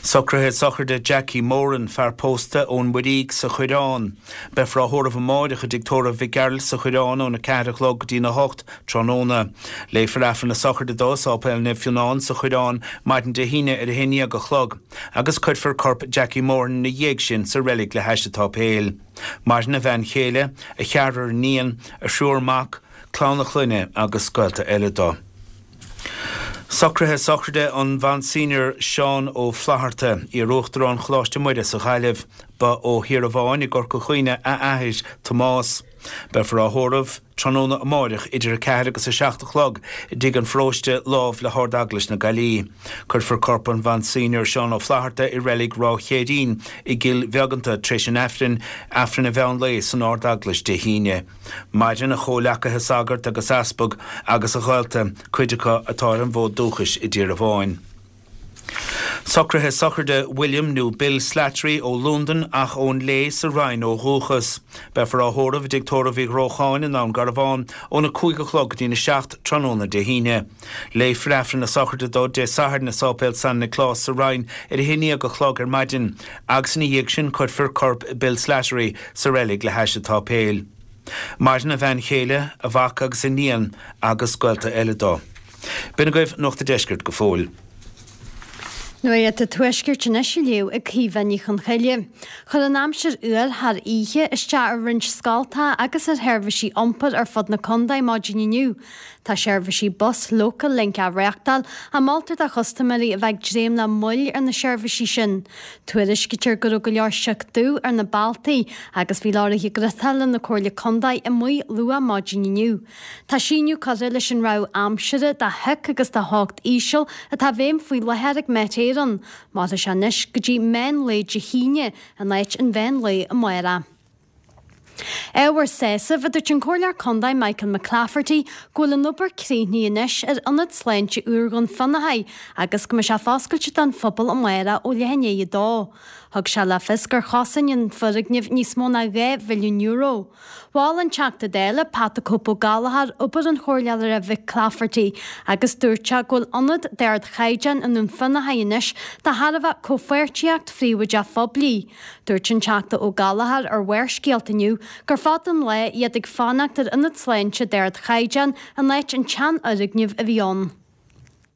Speaker 6: Socruithe sochraide Jackie Moran, fear pósta ón Mhuirígh sa Choireán. Beifear á thórramh amáireach i dTigh Tórraimh Mhic Gearailt sa Choireán óna ceathair a chlog go dtína hocht tráthnóna. Léifear Aifreann na sochraide dó i Sáipéal Naomh Fionnán sa Choireán maidin Dé hAoine ar a haon dhéag a chlog agus cuirfear corp Jackie Moran ina dhiaidh sin sa reilig le hais an tsáipéil. Maireann a bhean chéile, a cheathrar iníon, a thriúr mac, clann a chlainne agus gaolta eile dó. Socruithe sochraide an Mhonseigneur Seán Ó Flaithearta, iar-Uachtarán Choláiste Muire sa Ghaillimh. Ba ó Thír Amháin i gCorca Dhuibhne a athair, Tomás. Beifear á thórramh tráthnóna amáireach idir a ceathair agus a seacht a chlog i dTigh an Pharóiste lámh le hArd-Eaglais na Gaillimhe. Cuirfear corp an Mhonseigneur Seán Ó Flaithearta i reilig Ráth Chéirín i gCill Bheaganta tar éis an Aifrinn, Aifreann an mheán lae san Ard-Eaglais Dé hAoine. Maireann a chomhleacaithe sagart agus easpag agus a ghaolta, cuid acu atá ar an bhfód dúchais i dTír Amháin. Socruithe sochraide William nó Bill Slattery ó Londain ach ón Léith sa Rinn ó dhúchas. Beifear á thórramh i dTigh Tórraimh Uí Ghrócháin i nDún Garbhán óna cúig a chlog go dtína seacht tráthnóna Dé hAoine. Léifear Aifreann na sochraide dó Dé Sathairn i Sáipéal San Nioclás sa Rinn ar a haon déag a chlog ar maidin agus ina dhiaidh sin cuirfear corp Bill Slattery sa reilig le hais an tsáipéil. Maireann a bhean chéile, a mhac agus a iníon agus gaolta eile dó. B'in agaibh Nuacht an Deiscirt go fóill.
Speaker 9: Nuacht an Tuaiscirt anois á léamh ag Caoimhe Ní Chonchoille. Chuir an aimsir fhuar thar oíche isteach ar roinnt scoltacha agus ar sheirbhísí iompair ar fud na contae maidin inniu. Tá seirbhísí bus Local Link á reáchtáil ach moltar do chustaiméirí a bheith ag dréim le moill ar na seirbhísí sin. Tuairiscítear go raibh go leor sioc dubh ar na bealtaí agus bhí leoraithe griotála na Comhairle Contae amuigh luath maidin inniu. Tá síneadh curtha leis an rabhadh aimsire de shioc agus de theocht íseal atá i bhfeidhm faoi láthair ag Met Éireann. Mairfidh sé anois go dtí meán lae Dé hAoine in áit an mheán lae amárach. Ábhar sásaimh, a dúirt an Comhairleoir Contae Michael McClafferty, go bhfuil an obair críochnaithe anois ar Ionad Sláinte úr Dhún Fionnachaidh agus go mbeidh sé foscailte don phobal amárach ó leath i ndiaidh a dó. Thug sé le fios gur chosain an foirgneamh níos mó ná dhá mhilliún euro. Mhol an Teachta Dála, Pat 'The Cope' Ó Gallchóir, obair an Chomhairleora McClafferty agus dúirt sé go bhfuil ionad d'ardchaighdeán i nDún Fionnachaidh anois de thairbhe comhpháirtíocht phríobháideach phoiblí. Dúirt an Teachta Ó Gallchóir ar Bharrscéalta inniu gur fada an lá iad ag fanacht ar ionad sláinte d'ardchaighdeán in áit an tseanfhoirgnimh a bhí ann.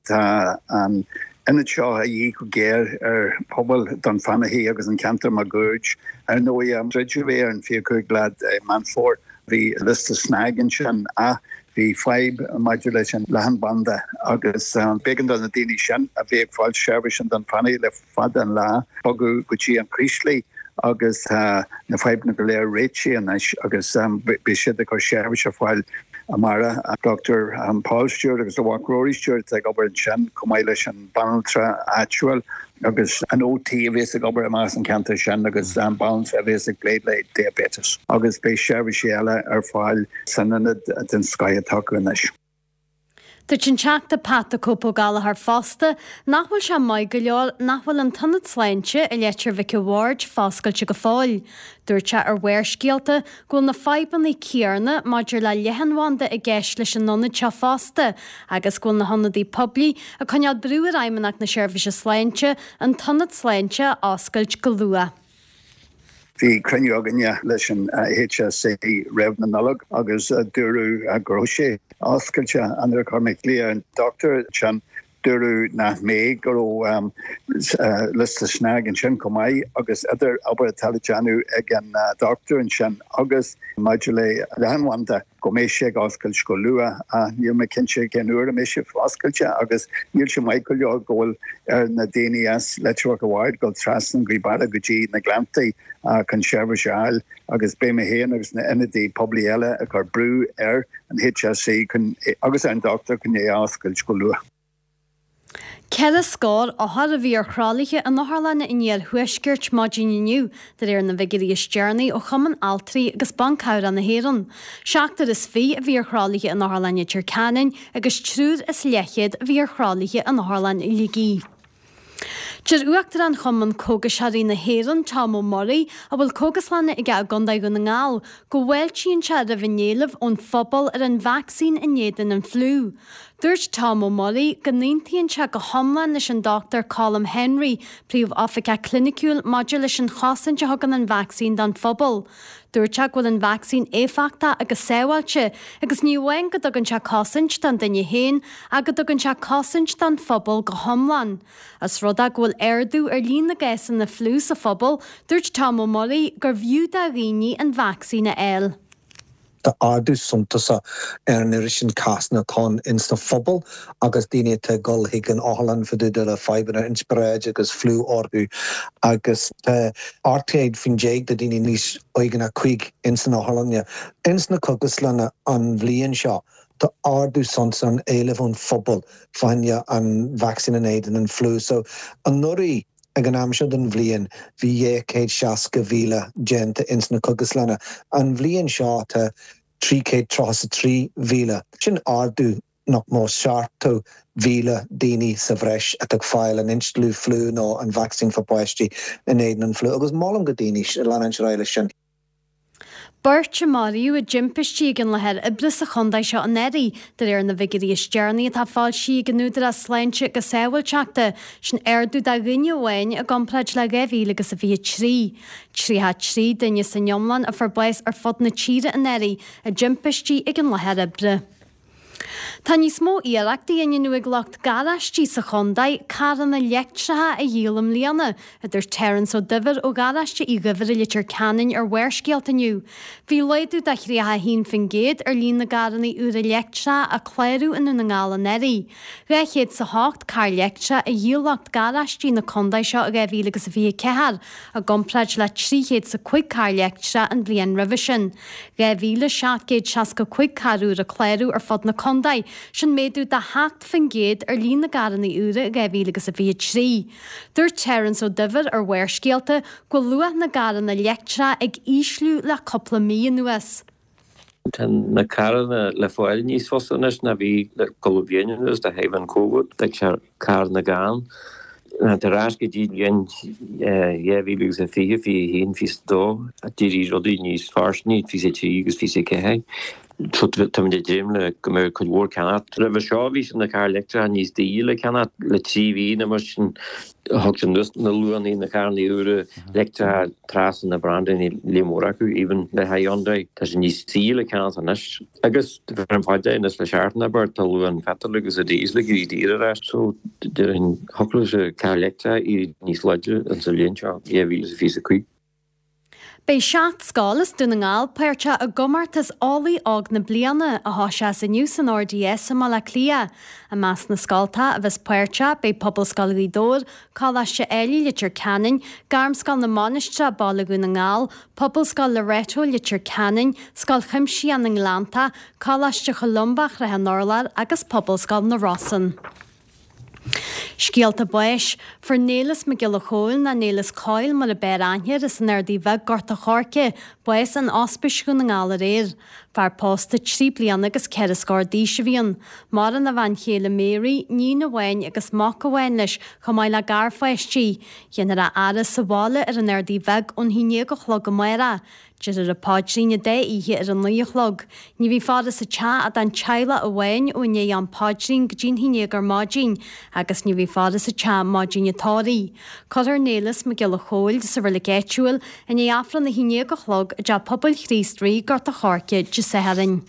Speaker 10: Tá an t-ionad seo a dhíth go géar ar phobal Dún Fionnachaidh agus an ceantar máguaird. Ar ndóigh, druideadh é ar an fiche cúig lá de Meán Fómhair. Bhí liosta snag ansin ach Bhí fadhb maidir leis an leathanbhanda agus b'éigean do na daoine sin a bhí ag fáil seirbhís in Dún Fanaí le fada an lá bogadh go dtí an Chraoslaigh agus tá na fadhbanna go léir réitithe anois agus beidh siad ag cur seirbhís ar fáil amárach. Doctor Paul Stewart agus a mhac Rory Stewart atá ag obair ansin chomh maith leis an banaltra áitiúil agus an OT a bhíos ag obair amach san ceantar sin agus an banaltra a bhíos ag plé le diabetes agus beidh seirbhísí eile ar fáil san ionad den scoth atá acu anois.
Speaker 9: Dúirt an Teachta Pat the Cope Ó Gallchóir fosta nach bhfuil sé maith go leor nach bhfuil an t-ionad sláinte i Leitir Mhic a' Bhaird foscailte go fóill. Dúirt sé ar Bharrscéalta go bhfuil na fadhbanna céanna maidir le leathanbhanda i gceist leis an ionad seo fosta agus go bhfuil na hionadaí poiblí ag coinneáil brú ar Fheidhmeannacht na Seirbhíse Sláinte an t-ionad sláinte a oscailt go luath.
Speaker 10: Bhí cruinniú againne leis an HSE roimh na Nollag agus dúradh go raibh sé oscailte. Nuair a chuir mé glaoch ar an dochtúir ansin, dúradh nach mbeidh, go raibh liosta snag ansin chomh maith agus idir obair atá le déanamh ag an dochtúir ansin agus maidir le leathanbhanda. go mbeidh sé ag oscailt go luath ach níl mé cinnte cén uair a mbeidh sé oscailte agus níl sé maith go leor go bhfuil ar na daoine as Leitir Mhic a' Bhaird dul trasna an Ghaoth Beara go dtí na Gleanntaí chun seirbhís a fháil agus beidh mé féin agus na ionadaí poiblí eile ag cur brú ar an HSE chun agus ar an dochtúir chun é a oscailt go luath.
Speaker 9: Ceithre scór othar a bhí ar thralaithe in otharlanna an iarthuaiscirt maidin inniu, de réir na bhfigiúirí is deireanaí ó Chumann Altraí agus Ban Cabhrach na hÉireann. Seachtar is fiche a bhí ar thralaithe in Otharlann Leitir Ceanainn agus triúr is leathchéad a bhí ar thralaithe in Otharlann Shligigh. Deir Uachtarán Chumann Cógaiseoirí na hÉireann, Tom Ó Muirí, a bhfuil cógaslanna aige i gContae Dhún na nGall, go bhfáiltíonn sé roimh an éileamh ón phobal ar an vacsaín in éadan an fliú. Dúirt Tom Ó Muirí go n-aontaíonn sé go hiomlán leis an Dochtúir Colm Henry, Príomh-Oifigeach Cliniciúil maidir leis an chosaint a thugann an vacsaín don phobal. Dúirt sé go bhfuil an vacsaín éifeachtach agus sábháilte agus ní amháin go dtugann sé cosaint don duine féin ach go dtugann sé cosaint don phobal go hiomlán. Os rud é go bhfuil ardú ar líon na gcásanna fliú sa phobal, dúirt Tom Ó Muirí gurbh fhiú do dhaoine an vacsaín a fháil.
Speaker 11: Tá ardú suntasach ar an oiread sin cásanna atá ann insa phobal agus daoine atá ag dul chuig an otharlann fá dtaobh de le fadhbanna inspioráide agus fliú orthu agus tá ocht gcéad faoin déag de daoine níos óige ná cúig ins an otharlann. Ins na cógaslanna an bhliain seo tá ardú suntasach an éileamh ón phobal fá choinne an vacsaín in éadan an fliú. So anuraidh ag an am seo den bhliain bhí dhá chéad seasca mhíle déanta ins na cógaslanna. An bhliain seo tá trí chéad tríocha is a trí mhíle. Sin ardú nach mó seachtó mhíle daoine sa bhreis atá ag fáil an instealladh fliú nó an vacsaín fá páistí in éadan an fliú agus molaim go daoine leanúint ar aghaidh leis sin.
Speaker 9: Beirt a maraíodh i dtimpistí ag an láthair oibre sa chontae seo anuraidh, de réir na bhfigiúirí is deireanaí atá foilsithe ag an Údarás Sláinte agus Sábháilteachta, sin ardú de dhuine amháin i gcomparáid le dhá mhíle agus a fiche trí. Tríocha a trí duine san iomlán a fuair bás ar fud na tíre anuraidh i dtimpistí ag an láthair oibre. Tá níos mó iarrachtaí á ndéanamh ag lucht garáistí sa chontae carranna leictreacha a dhíol i mbliana, a dúirt Terence Ó Duibhir ó Gharáiste Uí Dhuibhir i Leitir Ceanainn ar Bharrscéalta inniu. Bhí laghdú de thríocha a haon faoin gcéad ar líon na gcarranna úra leictreacha a cláraíodh i nDún na nGall anuraidh. Dhá chéad 's a hocht carr leictreach a dhíol lucht garáistí na contae seo i dhá mhíle agus a fiche a ceathair, i gcomparáid le trí chéad 's a cúig carr leictreach an bhliain roimhe sin. Dhá mhíle seacht gcéad seasca cúig carr úr a cláraíodh ar fud na contae, sin méadú de sheacht faoin gcéad ar líon na gcarranna úra i dhá mhíle agus a fiche trí. Dúirt Terence Ó Duibhir ar Bharrscéalta go bhfuil luach na gcarranna leictreacha ag ísliú le cúpla mí anuas.
Speaker 12: Tá na carranna le fáil níos fusa anois ná bhí le cúpla bliain anuas de thaobh an Covid. Tá sé carranna gann. Ar ais go dtí bliain dhá mhíle agus a fiche, fiche a haon, fiche a dó, d'éirigh rudaí níos fairsingí, fiche a trí agus fiche a ceathair. So táimid ag dréim le go mbeidh cuid mhór ceannacht. Roimhe seo bhí na cairr leictreacha níos daoire le ceannacht le trí mhí nó mar sin thug sé anuas na luachanna na carranna úra leictreacha trasna na brandanna líon mór acu even le Hyundai. Tá sé níos saoire le ceannacht anois. Agus ar an bhfad anois le seachtain abair tá luach an phetrol agus an diesel ag éirí daor ar ais so déarfainn thiocfadh leis an carr leictreach éirí níos láidre insa bhliain seo dhá mhíle is a fiche a cúig.
Speaker 9: Beidh seacht scoil as Dún na nGall páirteach i gcomórtas Eolaí Óg na Bliana, a thoiseos inniu san RDS i mBaile Átha Cliath. I measc na scoltacha a bheas páirteach beidh Pobalscoil Ghaoth Dobhair, Coláiste Ailigh Leitir Ceanainn, Gairmscoil na Mainistreach, Baile Dhún na nGall, Pobalscoil Loreto Leitir Ceanainn, Scoil Chuimsitheach na nGleanntach, Coláiste Cholumba Shraith an Urláir agus Pobalscoil na Rosann. Scéalta báis, Fuair Néileas Mac Giolla Chóill nó Néileas Coyle mar a b'fhearr aithne air as an Ardaidh Bheag, Gort a' Choirce, bás in Ospís Dhún na nGall aréir. Fear pósta trí bliana agus ceithre scór d'aois a bhí ann. Maireann a bhean chéile Mary, níon amháin agus mac amháin leis chomh maith le garpháistí. Déanfar a fhaire sa bhaile ar an Ardaidh Bheag ón haon déag a chlog amárach. Déarfar an paidrín an dá oíche ar a naoi a chlog. Ní bheidh faire sa teach ach don teaghlach amháin ó i ndiaidh am paidrín go dtí'n haon déag ar maidin agus ní bheidh faire sa teach maidin an tórraimh. Cuirfear Néileas Mac Giolla Chóill sa reilig áitiúil i ndiaidh Aifreann a haon déag a chlog i dTeach Pobail Chríost Rí, Gort a' Choirce, Dé Sathairn.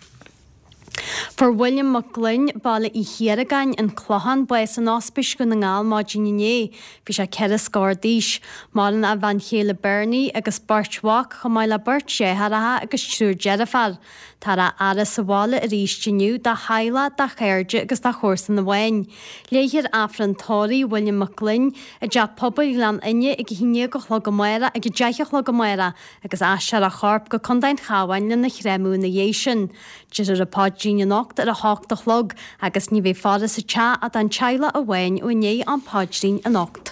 Speaker 9: Fuair William Mac Gloinn, Baile Uí Chiaragáin, An Clochán, bás in Ospís Dhún na nGall maidin inné. Bhí sé ceithre scór d'aois. Maireann a bhean chéile Bernie agus beirt mhac, chomh maith le beirt deartháireacha agus triúr deirfiúr. Táthar á fhaire sa bhaile arís inniu dá theaghlach, dá chairde agus dá chomharsain amháin. Léifear Aifreann tórraimh William Mac Gloinn i dTeach Pobail Ghleann Fhinne ag a haon déag a chlog amárach ag a deich a chlog amárach agus aistreofar a chorp go Contae an Chabháin lena chréamadh ina dhiaidh sin. Déarfar an paidrín anocht ar a hocht a chlog agus ní bheidh faire sa teach ach don teaghlach amháin ó i ndiaidh am paidrín anocht.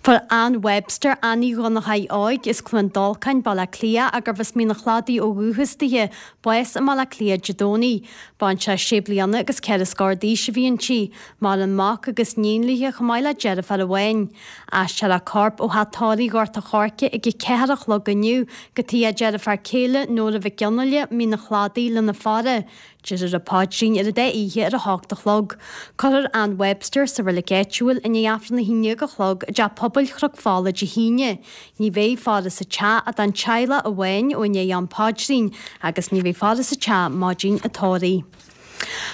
Speaker 9: Fuair Ann Webster, Annie Dhonnchaidh Óig as Cluain Dolcáin, Baile Átha Cliath, gurbh as Mín an Chladaigh ó dhúchas dithe, bás i mBaile Átha Cliath Dé Domhnaigh. Baintreach sé bliana agus ceithre scór d'aois a bhí inti. Maireann mac agus níon léi chomh maith le deirfiúr amháin. Aistreofar a corp ó theach tórraimh Ghort a' Choirce ag a ceathair a chlog inniu go tigh a deirfiúr céile Nóra Mhic Fhionnghaile, Mín an Chladaigh, lena faire. Déarfar an paidrín ar an dá oíche ar a hocht a chlog. Cuirfear Ann Webster sa reilig áitiúil i ndiaidh Aifreann a haon déag a chlog i dTeach Pobail Chnoc Fola Dé hAoine. Ní bheidh faire sa teach ach don teaghlach amháin ó i ndiaidh am paidrín agus ní bheidh faire sa teach maidin an tórraimh.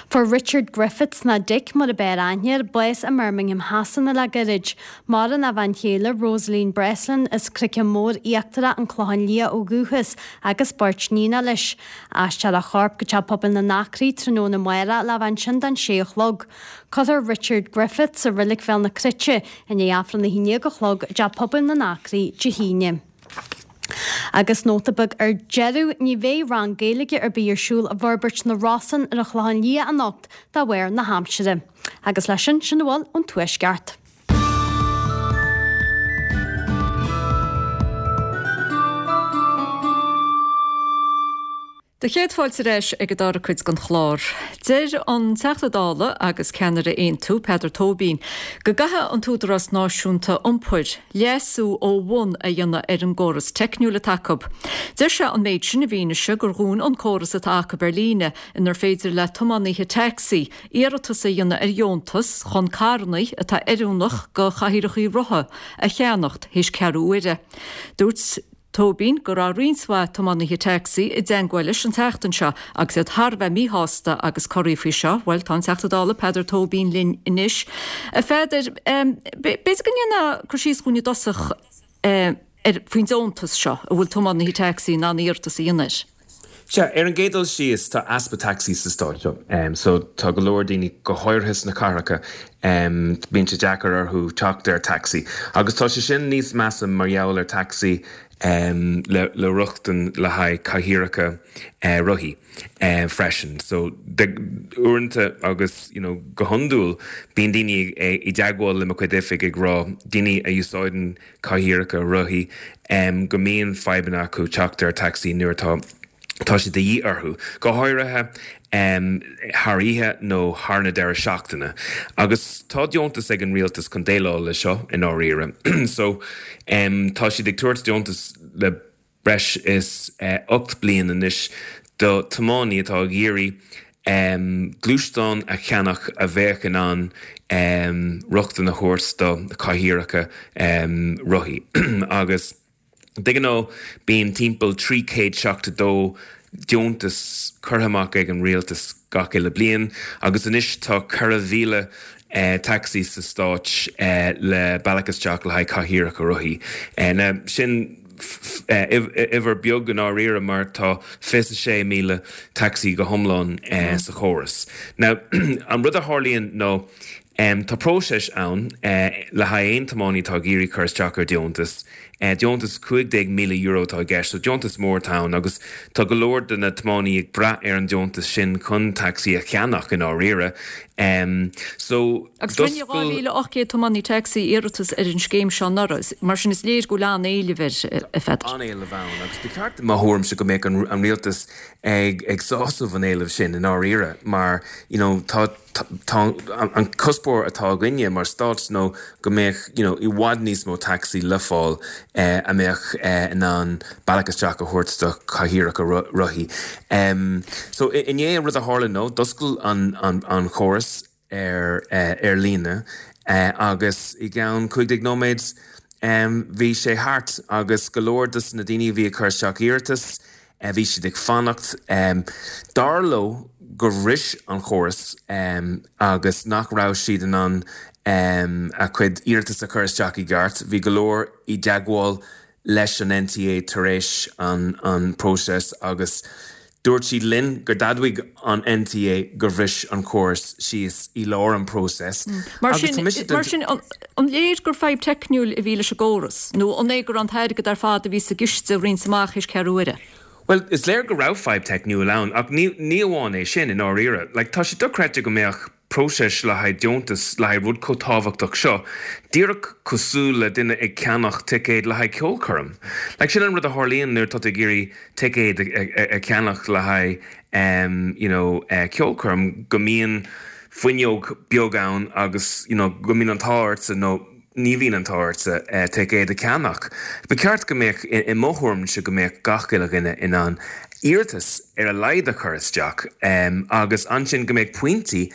Speaker 9: Fuair Richard Griffiths, nó Dick mar a b'fhearr aithne air, bás i mBirmingham Shasana le gairid. Maireann a bhean chéile Rosaleen Breslin as Croiceann Mór Íochtarach, An Clochán Liath ó dhúchas, agus beirt níonacha leis. Aistreofar a chorp go Teach Pobail na nAcraí tráthnóna amárach le bheith ansin don sé a chlog. Cuirfear Richard Griffiths i Reilig Bhéal na Cruite i ndiaidh Aifreann a haon déag a chlog i dTeach Pobail na nAcraí Dé hAoine. Agus nóta beag ar deireadh, ní bheidh rang Gaeilge ar bith ar siúl i bhForbairt na Rosann ar an Chlochán Liath anocht de bharr na haimsire. Agus leis sin, sin a bhfuil ón Tuaisceart.
Speaker 1: Do chéad fáilte ar ais ag an dara cuid den chlár. Deir an Teachta Dála agus ceannaire Aontú, Peadar Tóibín, go gcaithfidh an tÚdarás Náisiúnta Iompair leasú ó bhun a dhéanamh ar an gcóras teicniúil atá acu. Deir sé an méid sin i bhfianaise gur dhún an córas atá acu ar líne inar féidir le tiománaithe tacsaí iarratas a dhéanamh ar dheontas chun carranna atá oiriúnach do chathaoireacha rotha a cheannacht théis ceathrú uaire. Dúirt Tóibín go raibh roinnt mhaith tiománaithe tacsaí i dteagmháil leis an tseachtain seo agus iad thar a bheith míshásta agus corraithe faoi seo. Bhuel, tá an Teachta Dála Peadar Tóibín linn anois. A Pheadair, b'fhéidir go ndéanfá cur síos dhúinn i dtosach ar faoin deontas seo a bhfuil tiománaithe tacsaí in ann iarratas a dhéanamh air.
Speaker 13: Sea, ar an gcéad dul síos, tá easpa tacsaí sa stát seo. So tá go leor daoine, go háirithe sna cathracha, bíonn sé deacair orthu teacht ar tacsaí. Agus tá sé sin níos measa mar gheall ar tacsaí le le rochtain le haghaidh cathaoireacha rothaí freisin. So uaireanta agus you know go hiondúil bíonn daoine i dteagmháil le mo chuid oifig ag rá, daoine a úsáideann cathaoireacha rothaí, go mbíonn fadhbanna acu teacht ar tacsaí nuair atá tá sé de dhíth orthu, go háirithe thar oíche nó thar na deireadh seachtaine. Agus tá deontas ag an rialtas chun déileáil le seo i ndáiríre. So tá siad ag tabhairt deontas le breis is ocht bliain anois do tiománaí atá ag iarraidh gluaisteán a cheannach a bheadh in ann rochtain a thabhairt do chathaoireacha rothaí. Agus de ghnáth bíonn timpeall trí chéad seachtó dó deontas curtha amach ag an rialtas gach uile bliain agus anois tá ceithre mhíle tacsaí sa stát le bealach isteach le haghaidh cathaoireacha rothaí. Now sin uimhir beag i ndáiríre mar tá fiche sé míle taxi go hiomlán sa chóras. Now an rud a tharlaíonn nó tá próiseas ann le haghaidh aon tiománaí atá ag iarraidh cur isteach ar deontas. Deontas cúig déag míle euro atá i gceist, so deontas mór atá ann agus tá go leor de na tiománaí ag brath ar an deontas sin chun tacsaí a cheannach i ndáiríre. So
Speaker 1: Agus rinne dhá mhíle ocht gcéad tiománaí tacsaí iarratas ar an scéim seo anuraidh, mar sin is léir go bhfuil an-éileamh air, a Pheadair.
Speaker 13: An-éileamh ann agus ba cheart i mo thuairimse go mbeadh an rialtas ag ag sásamh an éilimh sin i ndáiríre mar you know tá tá an cuspóir atá againne mar stát nó go mbeadh you know i bhfad níos mó tacsaí le fáil eh, a mbeadh eh, in ann bealach isteach a thabhairt do chathaoireacha rothaí. Um, so inné an rud a tharla nó d'oscail an, an, an chóras ar, eh, ar líne eh, agus i gceann cúig déag nóiméad um, bhí sé thart agus go leor dos na daoine a bhí ag cur isteach iarratas eh, bhí siad ag fanacht. Um, dar leo gur bhris an chóras um, agus nach raibh siad in ann um, a cuid iarratas a chur isteach i gceart. Bhí go leor i dteagmháil leis an N T A tar éis an, an próiseas agus dúirt siad linn gur d'admhaigh an N T A gur bhris an córas síos i lár an próiseas.
Speaker 1: Mar sin, mar sin an, an léir gur fadhb teicniúil a bhí leis an gcóras, nó an é gur an t-airgead ar fad a bhí sa gciste roinnte amach théis ceathrú uaire?
Speaker 13: Well, is léir go raibh fadhb teicniúil ann, ach ní, ní amháin é sin i ndáiríre. Like, tá sé dochreidte go mbeadh próiseas le haghaidh deontas le haghaidh rud chomh tábhachtach seo, díreach cosúil le duine ag ceannach ticéad le haghaidh ceolchoirm. Like, sin an rud a tharlaíonn nuair atá tú ag iarraidh ticéad a, a, a cheannach le haghaidh um, you know, uh, ceolchoirm go mbíonn fuinneog beag ann agus you know, go mbíonn an t-ádh ortsa nó ní bhíonn an t-ádh ortsa uh, ticéad a cheannach. Ba cheart go mbeadh i mo thuairimse go mbeadh gach uile dhuine in ann iarratas ar a laghad a chur isteach um, agus ansin go mbeadh pointí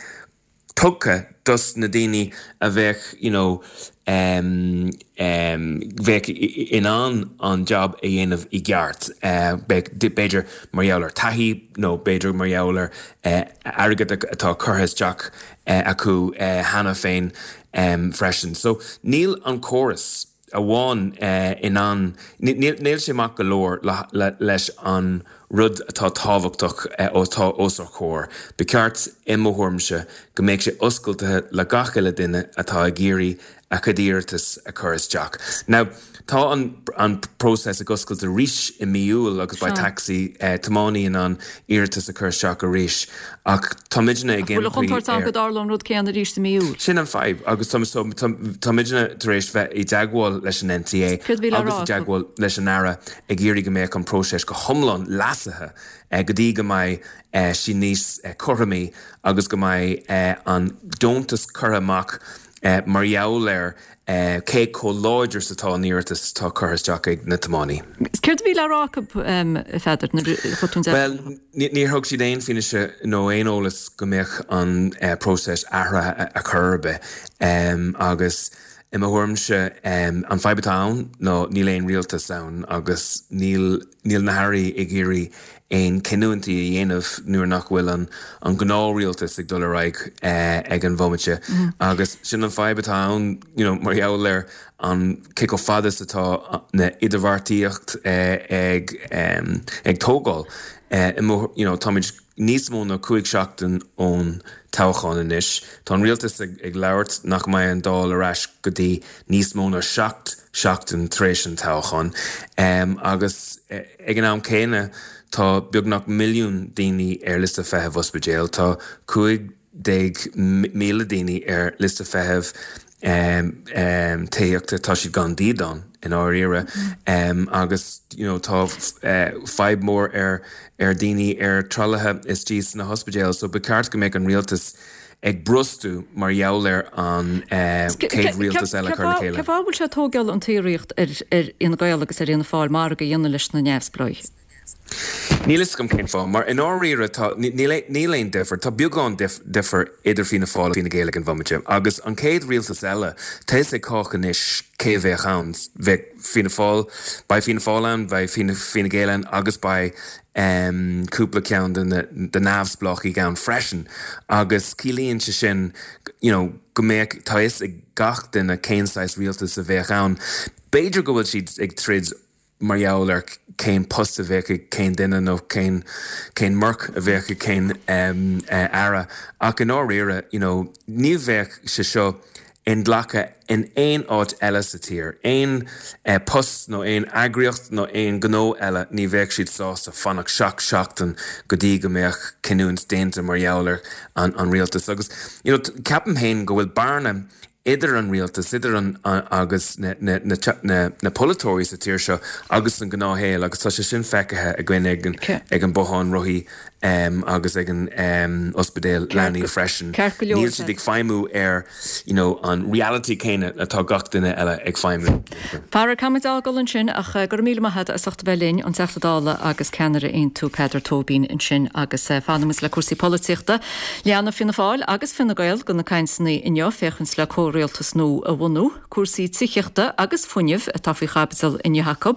Speaker 13: tugtha dos na daoine a bheadh you know, um, um, bheadh in ann an job a dhéanamh i gceart. Uh, b'fhéidir mar gheall ar taithí nó b'fhéidir mar gheall ar uh, airgead atá curtha isteach uh, acu uh, cheana féin um, freisin. So níl an córas amháin uh, in ann níl sé maith go leor le, le, leis an rud atá tábhachtach uh, atá os ár gcomhair. Ba cheart i mo thuairimse go mbeadh sé oscailte le gach uile duine atá ag iarraidh a chuid iarratas a chur isteach. Now, tá an, an próiseas ag oscailt arís i mí Iúil agus beidh taxi eh, tiománaí in ann iarratas a chur isteach arís ach táimidne ag
Speaker 1: Bhfuil chontúirt go dtarlódh an rud céanna arís i mí Iúil.
Speaker 13: Sin an fadhb agus táimidne tar éis bheith i dteagmháil leis an N T A agus i dteagmháil leis an Aire ag iarraidh go mbeadh an próiseas go hiomlán leasaithe eh, go dtí go mbeidh eh, sí níos eh, cothromaí agus go mbeidh eh, an deontas curtha amach eh, mar gheall ar eh, cé chomh láidir is atá an iarratas atá curtha isteach ag na tiománaí.
Speaker 1: Céard a bhí le rá acu Pheadair
Speaker 13: Well, níor thug siad aon fianaise nó aon eolas go mbeadh an eh, próiseas athraithe a chur ar bith um, agus i mo thuairimse um, an fadhb atá ann nó níl aon rialtas ann agus níl níl na hairí ag iarraidh aon cinniúintí a dhéanamh nuair nach bhfuil an an gnáthrialtas ag dul ar aghaidh eh, ag an bhomaite mm -hmm. agus sin an fadhb atá ann you know, mar gheall ar an cé chomh fada is atá na idirbheartaíocht eh, ag um, ag tógáil eh, you know, táimid níos mó ná cúig seachtain ón toghchán anois. Tá an rialtas ag, ag labhairt nach mbeidh an Dáil ar ais go dtí níos mó ná seacht seachtain tar éis an toghchán. Um, agus eh, ag an am céanna tá beagnach milliún daoine ar liosta feithimh ospidéal, tá cúig déag míle daoine ar liosta feithimh um, um, tithíochta tá siad gan dídean i ndáiríre um, agus you know, tá uh, fadhb mór ar ar daoine ar tralaithe istigh sna hospidéil, so ba cheart go mbeadh an rialtas ag brostú mar gheall ar an uh, céad rialtas eile chur le chéile.
Speaker 1: Cé bhfuil sé tógáil an t-iarracht ar ar Fhine Gael agus ar Fhianna Fáil margadh a dhéanamh leis na neamhspleáigh.
Speaker 13: Níl a fhios agam cén fáth, mar i ndáiríre níl aon difear, tá beagán difear idir Fianna Fáil Fine Gael ag an bhomaite. Agus an chéad rialtas eile tá a fhios ag cách anois cé bheadh ann bheadh Fianna Fáil, beidh Fianna Fáil ann, beidh Fine Gael ann agus beidh um, cúpla ceann de de neamhspleáchaigh ann freisin. Agus ciallaíonn sé sin you know, go mbeadh tá a fhios ag gach duine cén saghas rialtas a bheadh ann. B'fhéidir go bhfuil siad ag troid mar gheall ar cén post a bheadh ag cén duine nó cén cén marc a bheadh ag cén um, uh, aire ach in áiríre you know, ní bheadh sé seo inghlactha in aon áit eile sa tír. Aon eh, post nó aon eagraíocht nó aon gnó eile ní bheadh siad sásta fanacht seacht seachtain go dtí go mbeadh cinniúint déanta mar gheall ar an, an rialtas. Agus you know, ceapaim féin go bhfuil bearna idir an rialtas idir an agus na, na, na, na, na polaiteoirí sa tír seo agus an gnáthshaol agus tá sé sin feicthe againn ag an, ag an bothán rothaí um, agus ag an um, ospidéal leanaí freisin. Níl siad ag feidhmiú ar you know, an reality céanna atá gach duine eile ag feidhmiú.
Speaker 1: Fear caid ágáil ansin ach go raibh míle maith agat as ucht a bheith linn an Teachta Dála agus ceannaire Aontú Peadar Tóibín ansin agus eh, fanaimis le cúrsaí polaitíochta. Leanfaidh Fianna Fáil agus Fine Gael de na cainteanna inniu féachaint le comhrialtas nua a bhunú, cúrsaí tithíochta agus fuinnimh atá faoi chaibidil inniu acu.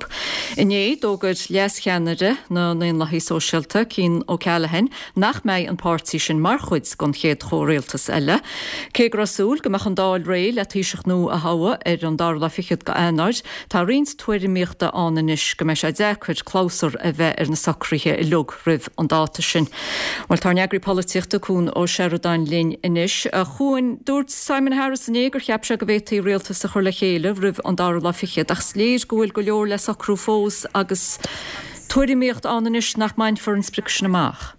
Speaker 1: Inné d'fhógair leascheannaire na nDaonlathaithe Sóisialta Cian O'Callaghan nach mbeidh an páirtí sin mar chuid den chéad chomhrialtas eile. Cé go raibh súil go mbeadh an Dáil réidh le Taoiseach nua a thoghadh ar an dara lá fichead d'Eanáir, tá roinnt tuairimíochta ann anois go mbeidh sé deacair clabhsúr a bheith ar na socruithe uilig roimh an dáta sin. Bhuel tá ár n-eagraí polaitíochta Cuan Ó Seireadáin linn anois. A Chuain, dúirt Simon Harris inné gur cheap sé go bhféadfaí rialtas a chur le chéile roimh an dara lá fichead, ach is léir go bhfuil go leor le socrú fós agus tuairimíocht ann anois nach mbainfear an sprioc sin amach.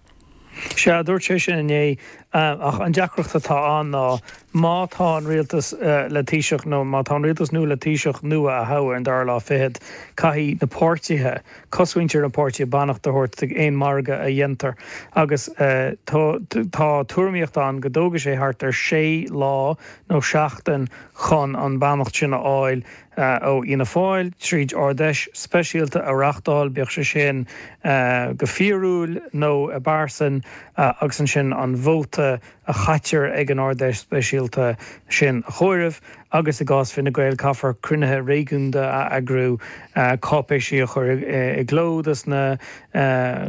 Speaker 14: Sea, dúirt sé sin inné, ach an deacracht atá ann ná má tá an rialtas le Taoiseach nó má tá an rialtas nua le Taoiseach nua a thoghadh ar an dara lá fichead, caithfidh na páirtithe, cosmhuintir na páirtithe beannacht a thabhairt d'aon margadh a dhéantar. Agus tá tuairimíocht ann go dtógfaidh sé thart ar sé lá nó seachtain chun an beannacht sin a fháil ó Fhianna Fáil tríd Ard-Fheis speisialta a reáchtáil, bíodh sé sin go fíorúil nó i bpearsan, agus ansin an vóta a chaitear ag an Ard-Fheis speisialta sin a chomhaireamh, agus i gcás Fine Gael caithfear cruinnithe réigiúnda a eagrú, cáipéisí a chur i gcló dos na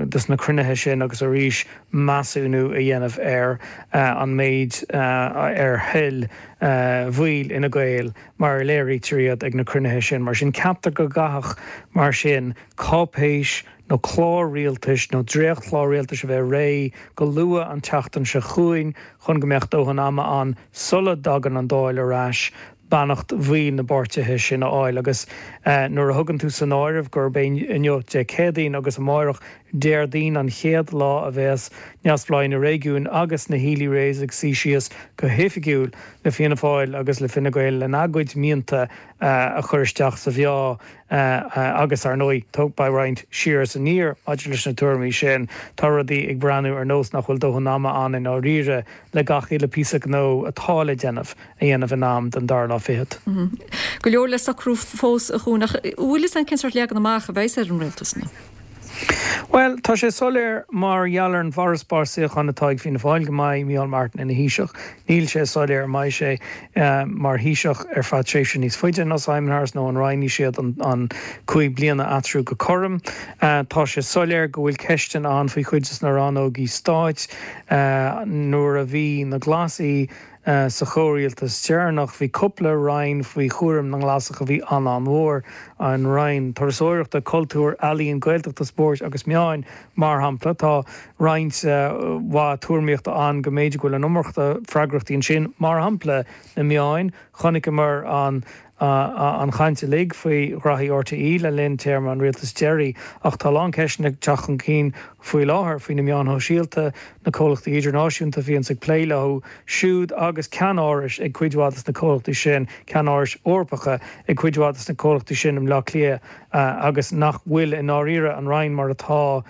Speaker 14: dos na cruinnithe sin agus arís measúnú a dhéanamh ar an méid ar thoil bhaill Fhine Gael mar a léirítear iad ag na cruinnithe sin. Mar sin ceaptar go gcaithfeadh mar sin cáipéis nó clár rialtais nó dréachtchlár rialtais a bheith réidh go luath an tseachtain seo chugainn chun go mbeadh dóthain ama ann sula dtagann an Dáil ar ais beannacht bhaill na bpáirtithe sin a fháil. Agus nuair a thugann tú san áireamh gurb é inniu Dé Céadaoin agus amárach Déardaoin an chéad lá a bheas neamhspleáigh na réigiún agus na Healy-Raes ag suí síos go hoifigiúil le Fianna Fáil agus le Fine Gael lena gcuid mianta a chur isteach sa mheá agus, ar ndóigh, beidh roinnt siar is aniar maidir leis na tuairimí sin. Tá rudaí ag breathnú ar nós nach bhfuil dóthain ama ann i ndáiríre le gach uile píosa gnó atá le déanamh a dhéanamh in am don dara lá fichead.
Speaker 1: Go leor le socrú fós, a Chuain, ach an bhfuil fhios againn cén sórt leagan amach a bheas ar an rialtas nua?
Speaker 14: Bhuel, tá sé soiléir mar gheall ar an bhfarasbarr suíochán atá ag Fianna Fáil go mbeidh Micheál Martin ina Thaoiseach. Níl sé soiléir an mbeidh sé mar Thaoiseach ar feadh tréimhse níos faide ná Simon Harris nó an roinnfidh siad an cúig bliana eatarthu go cothrom. Tá sé soiléir go bhfuil ceisteanna ann faoi chuid de na rannógaí stáit. Nuair a bhí na Glasaigh Sa chomhrialtas deireanach, bhí cúpla roinn faoi chúram na nGlasach a bhí an-an-mhór, an Roinn Turasóireachta, Cultúir, Ealaíon, Gaeltachta, Spóirt agus Meáin, mar shampla. Tá roinnt mhaith tuairimíochta ann go mb'fhéidir go bhfuil an iomarca freagrachtaí ansin, mar shampla na meáin. Chonaiceamar an an chaint uilig faoi ghraithí RTÉ le linn téarma an rialtais deiridh ach tá a lán ceisteanna ag teacht chun cinn faoi láthair faoi na meáin shóisialta, na comhlachtaí idirnáisiúnta a bhíonns ag plé leo siúd agus ceannárais ag cuid mhaith de na comhlachtaí sin, ceannárais Eorpacha ag cuid mhaith de na comhlachtaí sin i mBleá Cliath agus nach bhfuil i ndáiríre an Roinn mar atá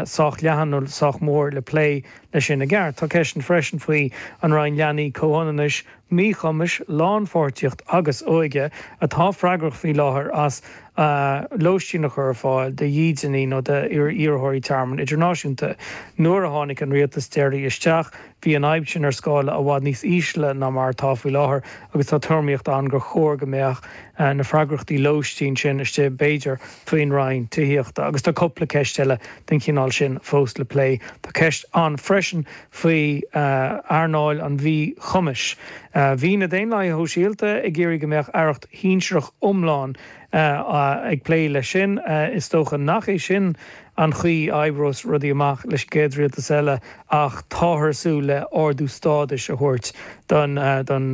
Speaker 14: sách leathan nó sách mór le plé leis sin i gceart. Tá ceisteanna freisin faoi an Roinn Leanaí, Comhionannais, Míchumais, Lánpháirtíocht agus Óige, atá freagrach faoi láthair as lóistín a chur ar fáil do dhídeanaí nó d'iarrthóirí tearmainn idirnáisiúnta. Nuair a tháinig an rialtas deiridh isteach, bhí an fhadhb sin ar scála i bhfad níos ísle ná mar atá faoi láthair agus tá tuairimíocht ann gur chóir go mbeadh na freagrachtaí lóistín sin istigh, b'fhéidir, faoin Roinn Tithíochta. Agus tá cúpla ceist eile den chineál sin fós le plé. Tá ceist ann freisin faoi earnáil an mhíchumais. Bhí na Daonlathaithe Shóisialta ag iarraidh go mbeadh aireacht shinsearach iomlán ag plé leis sin. Is dócha nach é sin an chaoi a oibreos rudaí amach leis an gcéad rialtas eile ach táthar ag súil le ardú stádais a thabhairt don don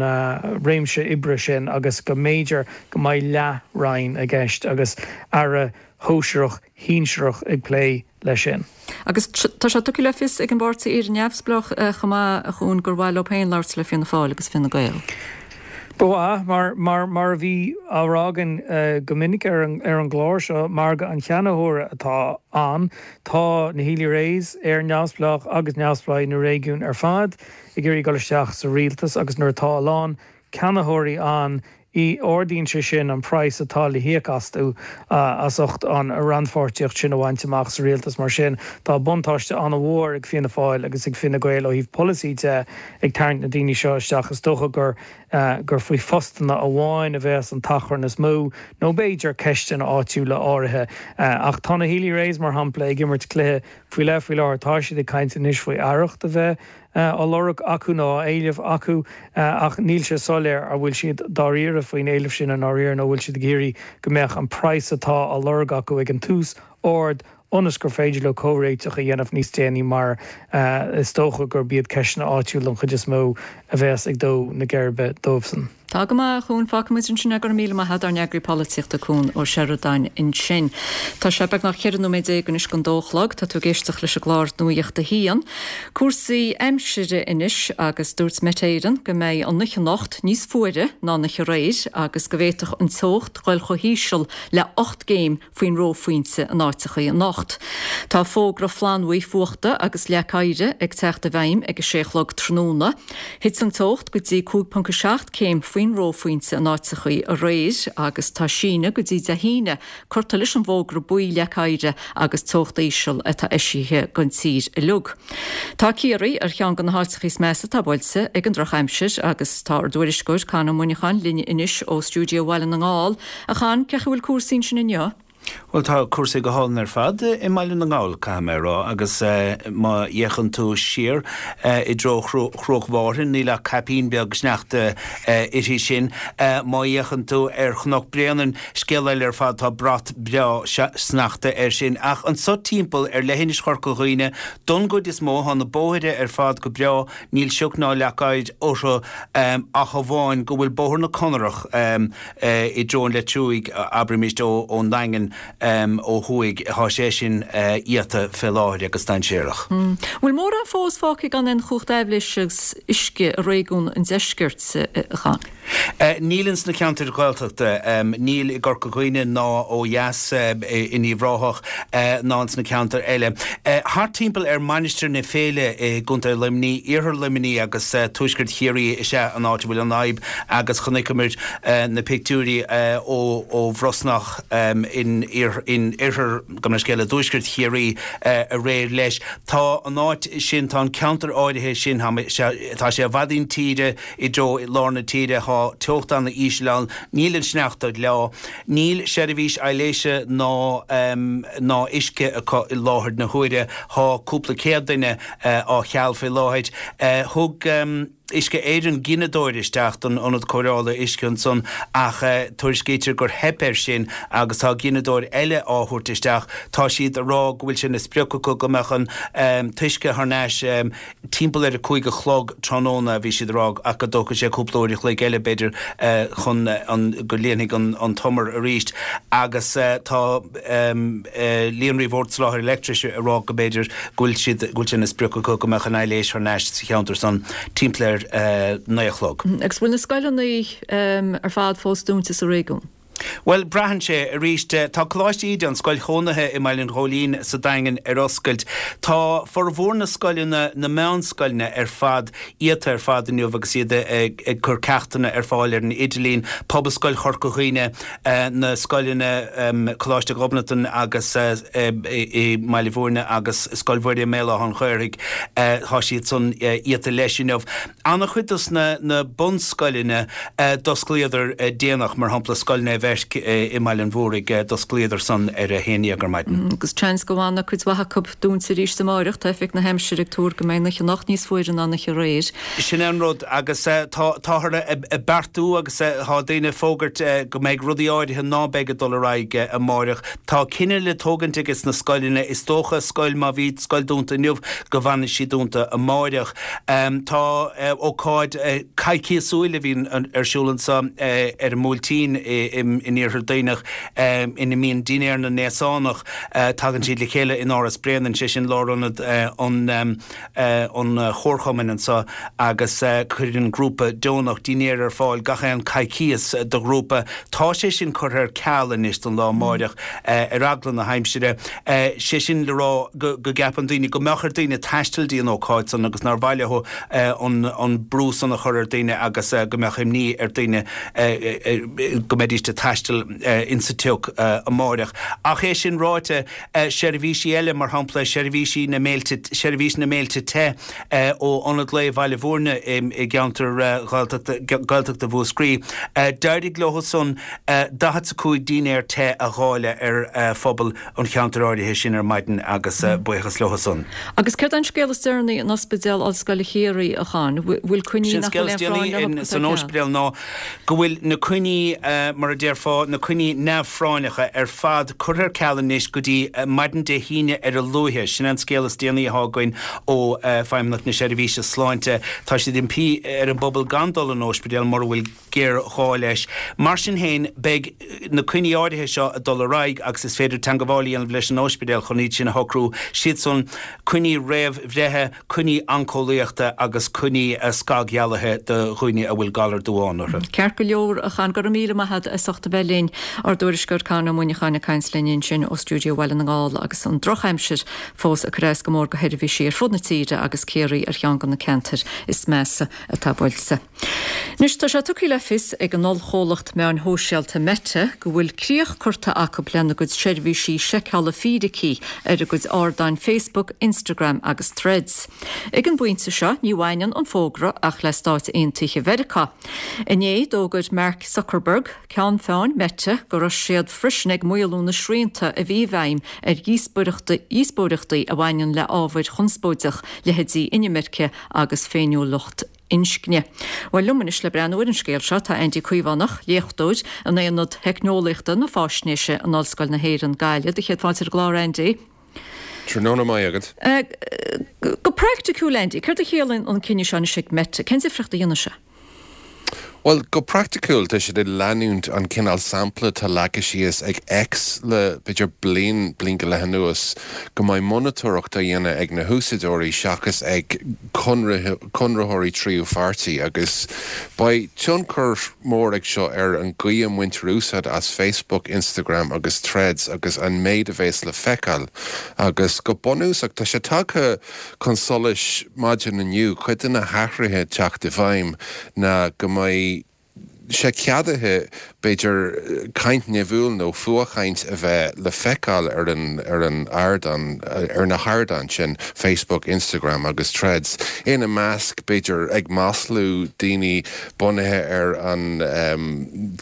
Speaker 14: réimse oibre sin agus go mb'fhéidir go mbeidh leath-roinn i gceist agus aire shóisearach shinsearach ag plé leis sin.
Speaker 1: Agus tá sé tugtha le fios ag an bpáirtí Éire Neamhspleách chomh maith, a Chuain, gur mhaith leo féin labhairt le Fianna Fáil agus Fine Gael.
Speaker 14: Ba mhaith, mar mar mar a bhí á rá againn go minic ar an ar an gclár seo, margadh an cheannaitheora atá ann. Tá na Healy-Raes, Éire Neamhspleách agus Neamhspleáigh na réigiún ar fad ag iarraidh dul isteach sa rialtas agus nuair atá a lán ceannaitheoirí ann, ardaíonn sé sin an praghas atá le híoc astu as ucht an rannpháirtíocht sin a bhaint amach sa rialtas. Mar sin, tá buntáiste an-mhór ag Fianna Fáil agus ag Fine Gael ó thaobh polasaí de ag tarraingt na daoine seo isteach. Is dócha gur gur faoi phostanna amháin a bheas an t-achrann is mó, nó b'fhéidir ceisteanna áitiúla áirithe. Ach tá na Healy-Raes, mar shampla, ag imirt cluiche faoi leith faoi láthair. Tá siad ag caint anois faoi aireacht a bheith á lorg acu nó á éileamh acu ach níl sé soiléir an bhfuil siad dáiríre faoin éileamh sin i ndáiríre nó an bhfuil siad ag iarraidh go mbeadh an praghas atá á lorg acu ag an tús ard ionas gur féidir leo comhréiteach a dhéanamh níos déanaí mar is dócha gurb iad ceisteanna áitiúla an chuid is mó a bheas ag dó na geirbe dóibhsan.
Speaker 1: Tá go maith, a Chuain. Fágfaimid ansin é. Go raibh míle maith agat, ár n-eagraí polaitíochta Cuan Ó Seireadáin ansin. Tá sé beagnach ceithre nóiméad déag anois don dó a chlog. Tá tú ag éisteacht leis an gclár Nuacht a hAon. Cúrsaí aimsire anois agus dúirt Met Éireann go mbeidh an oíche anocht níos fuaire ná an oíche aréir agus go bhféadfadh an teocht dhul chomh híseal le ocht gcéim faoin reophointe in áiteachaí anocht. Tá fógra flannbhuí fuachta agus leac oighir ag teacht i bhfeidhm ag a sé a chlog tráthnóna. Thit an teocht go dtí cúig ponc a seacht céim faoin reophointe in áiteachaí aréir agus tá síneadh go dtí Dé hAoine curtha leis an bhfógra buí leac oighir agus teocht íseal atá eisithe don tír uilig. Tá Ciarraí ar cheann de na háiteachaí is measa atá buailte ag an drochaimsir agus tá ár dtuairisceoir Con Ó Muineacháin linn anois ó stiúideo Bhaile na nGall. A Chon, cén chaoi a bhfuil cúrsaí ansin inniu?
Speaker 6: Bhuel, tá cúrsaí go hálainn ar fad i mBaile na nGall, caithfidh mé a rá, agus má fhéachann tú siar i dtreo Chruach Mhárthain, níl ach caipín beag sneachta uirthi sin. Má fhéachann tú ar Chnoc Bréanainn, scéal eile ar fad, tá brat breá sneachta air sin. Ach anso timpeall ar leithinis Chorca Dhuibhne, don gcuid is mó, tá na bóithre ar fad go breá, níl sioc ná leac oighir orthu ach amháin go bhfuil Bóthar na Conarach i dtreo an Leitriúigh, abraimis, ón nDaingean ó thuaidh, tá sé sin iata fé láthair agus dainséarach.
Speaker 1: Bhfuil mórán fós fágtha gan aon chumhacht aibhléise agus uisce i réigiún an deiscirt, a Chon?
Speaker 6: Níl ins na ceantair Ghaeltachta, níl i gCorca Dhuibhne ná ó dheas in Uíbh Ráthach ná ins na ceantair eile. Thart timpeall ar Mainistir na Féile i gContae Luimnigh, iarthar Luimnigh agus tuaisceart Chiarraí is ea an áit a bhfuil an fhadhb agus chonaiceamar na pictiúirí ó Bhrosnach in oirthear, gabh mo leithscéal, i dtuaisceart Chiarraí aréir leis. Tá an áit sin, tá an ceantar áirithe sin, tá sé i bhfad intíre i dtreo lár na tíre, tá teocht ana-íseal ann, níl an sneachta ag leá, níl seirbhís aibhléise ná ná uisce acu i láthair na huaire, tá cúpla céad duine á cheal faoi láthair. Thug. Uisce Éireann gineadóir isteach don ionad cóireála uisce ansan ach tuairiscítear gur theip air sin agus tá gineadóir eile á thabhairt isteach. Tá siad ag rá go bhfuil sé ina sprioc acu go mbeadh an t-uisce thar n-ais timpeall ar a cúig a chlog tráthnóna, a bhí siad ag rá, ach go dtógfaidh sé cúpla uair a chloig eile b'fhéidir chun go líonfaidh an t-umar arís agus tá Líonraí Bhord Soláthair Leictris ag rá go mb'fhéidir go bhfuil siad, go bhfuil sé ina sprioc acu go mbeadh an aibhléis thar n-ais sa cheantar san timpeall ar naoi a chlog.
Speaker 1: Agus bhfuil na scoileanna ar fad fós dúnta sa réigiún?
Speaker 6: Bhuel, braitheann sé. Arís, tá Coláiste Íde, an scoil chónaithe i mBaile an Ghóilín sa Daingean, ar oscailt. Tá formhór na scoileanna, na meánscoileanna ar fad, iata ar fad inniu agus iad ag cur ceachtanna ar fáil ar an idirlíon. Pobalscoil Chorca Dhuibhne, na scoileanna Coláiste Ghobnatan agus i mBaile Bhúirne agus Scoil Mhuire i mBéal Átha an Ghaorthaidh, tá siad san iata leis inniu. An-chuid dos na bunscoileanna, d'osclaíodar déanach, mar shampla Scoil Naomh Bheirc i mBaile an Mhúraigh, d'osclaíodar san ar a haon dhéag ar maidin.
Speaker 1: Agus seans go bhfanfaidh cuid mhaith acu dúnta arís amáireach, tá Oifig na hAimsire ag tuar go mbeidh an oíche anocht níos fuaire ná an oíche aréir.
Speaker 6: Sin é an rud agus táthar ag beartú agus tá daoine ag fógairt go mbeidh rudaí áirithe ná beidh ag dul ar aghaidh amáireach. Tá cinneadh le tógaint ages na scoileanna, is dócha scoil má bhí scoil dúnta inniu go bhfanfaidh sí dúnta amáireach. Tá ócáid coicíosúil a bhíonn ar siúl anseo ar an mBuailtín in Iarthar Duibhneach ina mbíonn Dinnéar na nAosánach. Tagann siad le chéile in Áras Bréanainn, sé sin lárionad an chomharchumainn anseo agus cuireann grúpa deonach dinnéar ar fáil gach aon coicíos do ghrúpa. Tá sé sin curtha ar ceal anois don lá amáireach ar eagla na haimsire. Sé sin le rá go gceapann daoine go mbeadh ar daoine taisteal dtí an ócáid san agus nár mhaith leo an brú san a chur ar daoine agus go mbeadh imní ar daoine go mbeidís ag taisteal insa tsioc amáireach. Ach é sin ráite, seirbhísí eile, mar shampla seirbhísí na mbéilte, seirbhís na mbéilte te ó Ionad Lae Bhaile Bhúirne i gceantar Gaeltachta Mhúscraí, d'éirigh leo san daichead 's a cúig dinnéar te a dháileadh ar phobal an cheantair áirithe sin ar maidin agus buíochas leo san.
Speaker 1: Agus céard é an scéal is deireanaí in Ospidéal Ollscoile Chiarraí, a Chon? Bhfuil coinní
Speaker 6: Sin
Speaker 1: nach
Speaker 6: scéal
Speaker 1: bhfuil
Speaker 6: is
Speaker 1: aon phráinn
Speaker 6: déanaí
Speaker 1: leo
Speaker 6: san ospidéal ná go bhfuil na coinní, mar a déarfá, na coinní neamhphráinneacha ar fad curtha ar ceal anois go dtí maidin Dé hAoine ar a luaithe. Sin an scéal is déanaí atá againn ó Feidhmeannacht na Seirbhíse Sláinte. Tá siad ag impí ar an bpobal gan dul an ospidéal mura bhfuil géarghá leis. Mar sin féin, beidh na coinní áirithe seo ag dul ar aghaidh agus is féidir teangabháil a dhéanamh leis an ospidéal chun iad sin a shocrú. Siad san coinní réamhbhreithe, coinní oinceolaíochta agus coinní scagdhealaithe do dhaoine a bhfuil galar duáin orthu.
Speaker 1: Ceart go leor, a Chon, go raibh míle maith agat as ucht a bheith linn. Ár dtuairisceoir Con Ó Muineacháin ag caint linn ansin ó stiúideo Bhaile na nGall agus an drochaimsir fós ag cur as go mór do sheirbhísí ar fud na tíre agus Ciarraí ar cheann de na ceantair is measa atá buailte. Anois tá sé tugtha le fios ag an ollchomhlacht meáin shóisialta Meta go bhfuil críoch curtha acu lena gcuid seirbhísí seiceála fíricí ar a gcuid ardáin Facebook, Instagram agus Threads. Ag an bpointe seo ní bhaineann an fógra ach le Stáit Aontaithe Mheiriceá. Inné d'fhógair Mark Zuckerberg, ceann feadhain Meta go raibh siad freisin ag maolú na srianta a bhí i bhfeidhm ar dhíospóireachtaí a bhaineann le ábhair chonspóideach, leithéidí inimirce agus féiniúlacht inscne. Bhuel liom anois le breathnú ar an scéal seo tá Andy Caomhánach, léachtóir in Aonad Theicneolaíochta na Faisnéise in Ollscoil na hÉireann Gaillimh. Do chéad fáilte ar an gclár Andy.
Speaker 15: Tráthnóna maith agat.
Speaker 1: Go praiticiúil Andy, céard a chiallaíonn an cinneadh seo anois ag Meta? Cén difríocht a dhéanfaidh sé?
Speaker 15: Bhuel, go praiticiúil tá siad ag leanúint an cineál sampla atá leagtha síos ag X le b'fhéidir bliain, bliain go leith anuas, go mbeidh monatóireacht á dhéanamh ag na húsáideoirí seachas ag conraitheoirí tríú pháirtí agus beidh tionchar mór ag seo ar an gcaoi a mbaintear úsáid as Facebook, Instagram agus Threads agus an méid a bheas le feiceáil agus go bunúsach tá sé tagtha chun solais maidin inniu cuid de na hathruithe teacht i bhfeidhm ná go mbeidh sé ceadaithe b'fhéidir caint nimhiúil nó fuathchaint a bheith le feiceáil ar an ar an ardán ar na hardáin sin Facebook, Instagram agus Threads. Ina measc b'fhéidir ag maslú daoine bunaithe ar an um,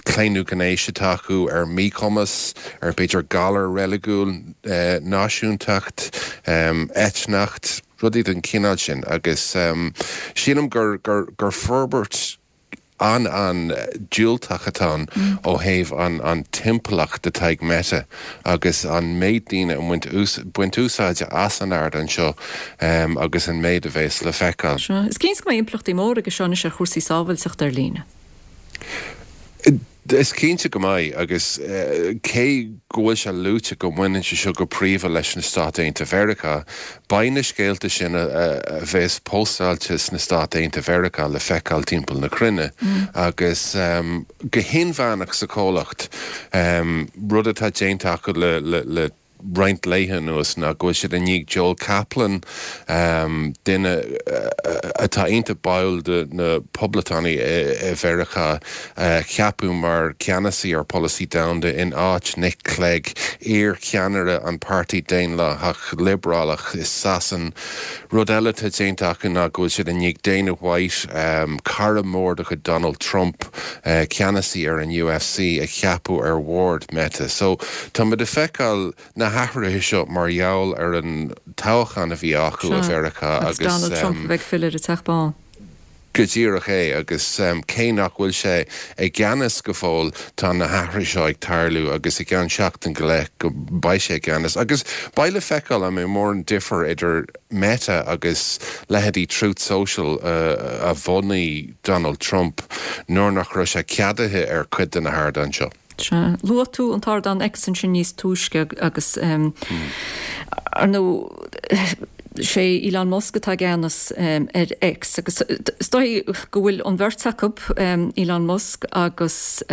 Speaker 15: claonadh gnéis atá acu ar míchumas, ar b'fhéidir galar reiligiúil, eh, náisiúntacht, um, eitneacht, rudaí den chineál sin agus um, sílim gur, gur, gur forbairt an an diúltach atá ann ó thaobh an an timpeallacht atá ag Meta agus an méid daoine a bhaint baint úsáide as an ardán seo um, agus an méid a bheas le feiceáil.
Speaker 1: Is cinnte go mbeidh impleachtaí mór aige seo anois ar chúrsaí sábháilteachta ar líne.
Speaker 15: Is cinnte go mbeidh agus uh, cé go bhfuil sé luaite go mbaineann sé seo go príomha leis na Stáit Aontaithe Mheiriceá, beidh na scéalta sin a, a, a bheas postáilte sna Stáit Aontaithe Mheiriceá le feiceáil timpeall na cruinne mm. agus um, go hinmheánach sa chomhlacht um, rud atá déanta acu le, le, le roinnt laetha anuas ná go bhfuil siad i ndiaidh Joel Kaplan, duine atá iontach báúil do na Poblachtánaigh i Mheiriceá, a cheapadh mar cheannasaí ar pholasaí domhanda in áit Nick Clegg, iar-cheannaire an Páirtí Daonlathach Liobrálach i Sasain. Rud eile atá déanta acu ná go bhfuil siad i ndiaidh Dana White, cara mór de chuid Donald Trump, ceannasaí ar an UFC, a cheapadh ar bhord Meta. So tá muid ag feiceáil na hathruithe seo mar gheall ar an toghchán a bhí acu i Mheiriceá
Speaker 1: agus Donald Trump a bheith ag filleadh ar an Teach Bán.
Speaker 15: Go díreach é agus cé nach bhfuil sé i gceannas go fóill tá na hathruithe seo ag tarlú agus i gceann seachtain go leith go mbeidh sé i gceannas agus beidh le feiceáil an mbeidh mórán difear idir Meta agus leithéidí Truth Social a bhunaigh Donald Trump nuair nach raibh sé ceadaithe ar chuid de na hardáin seo.
Speaker 1: Sea. Luaigh tú an t-ardán X ansin níos túisce agus, ar ndóigh, sé Elon Musk atá i gceannas ar X agus is dóigh go bhfuil an bheirt acu, Elon Musk agus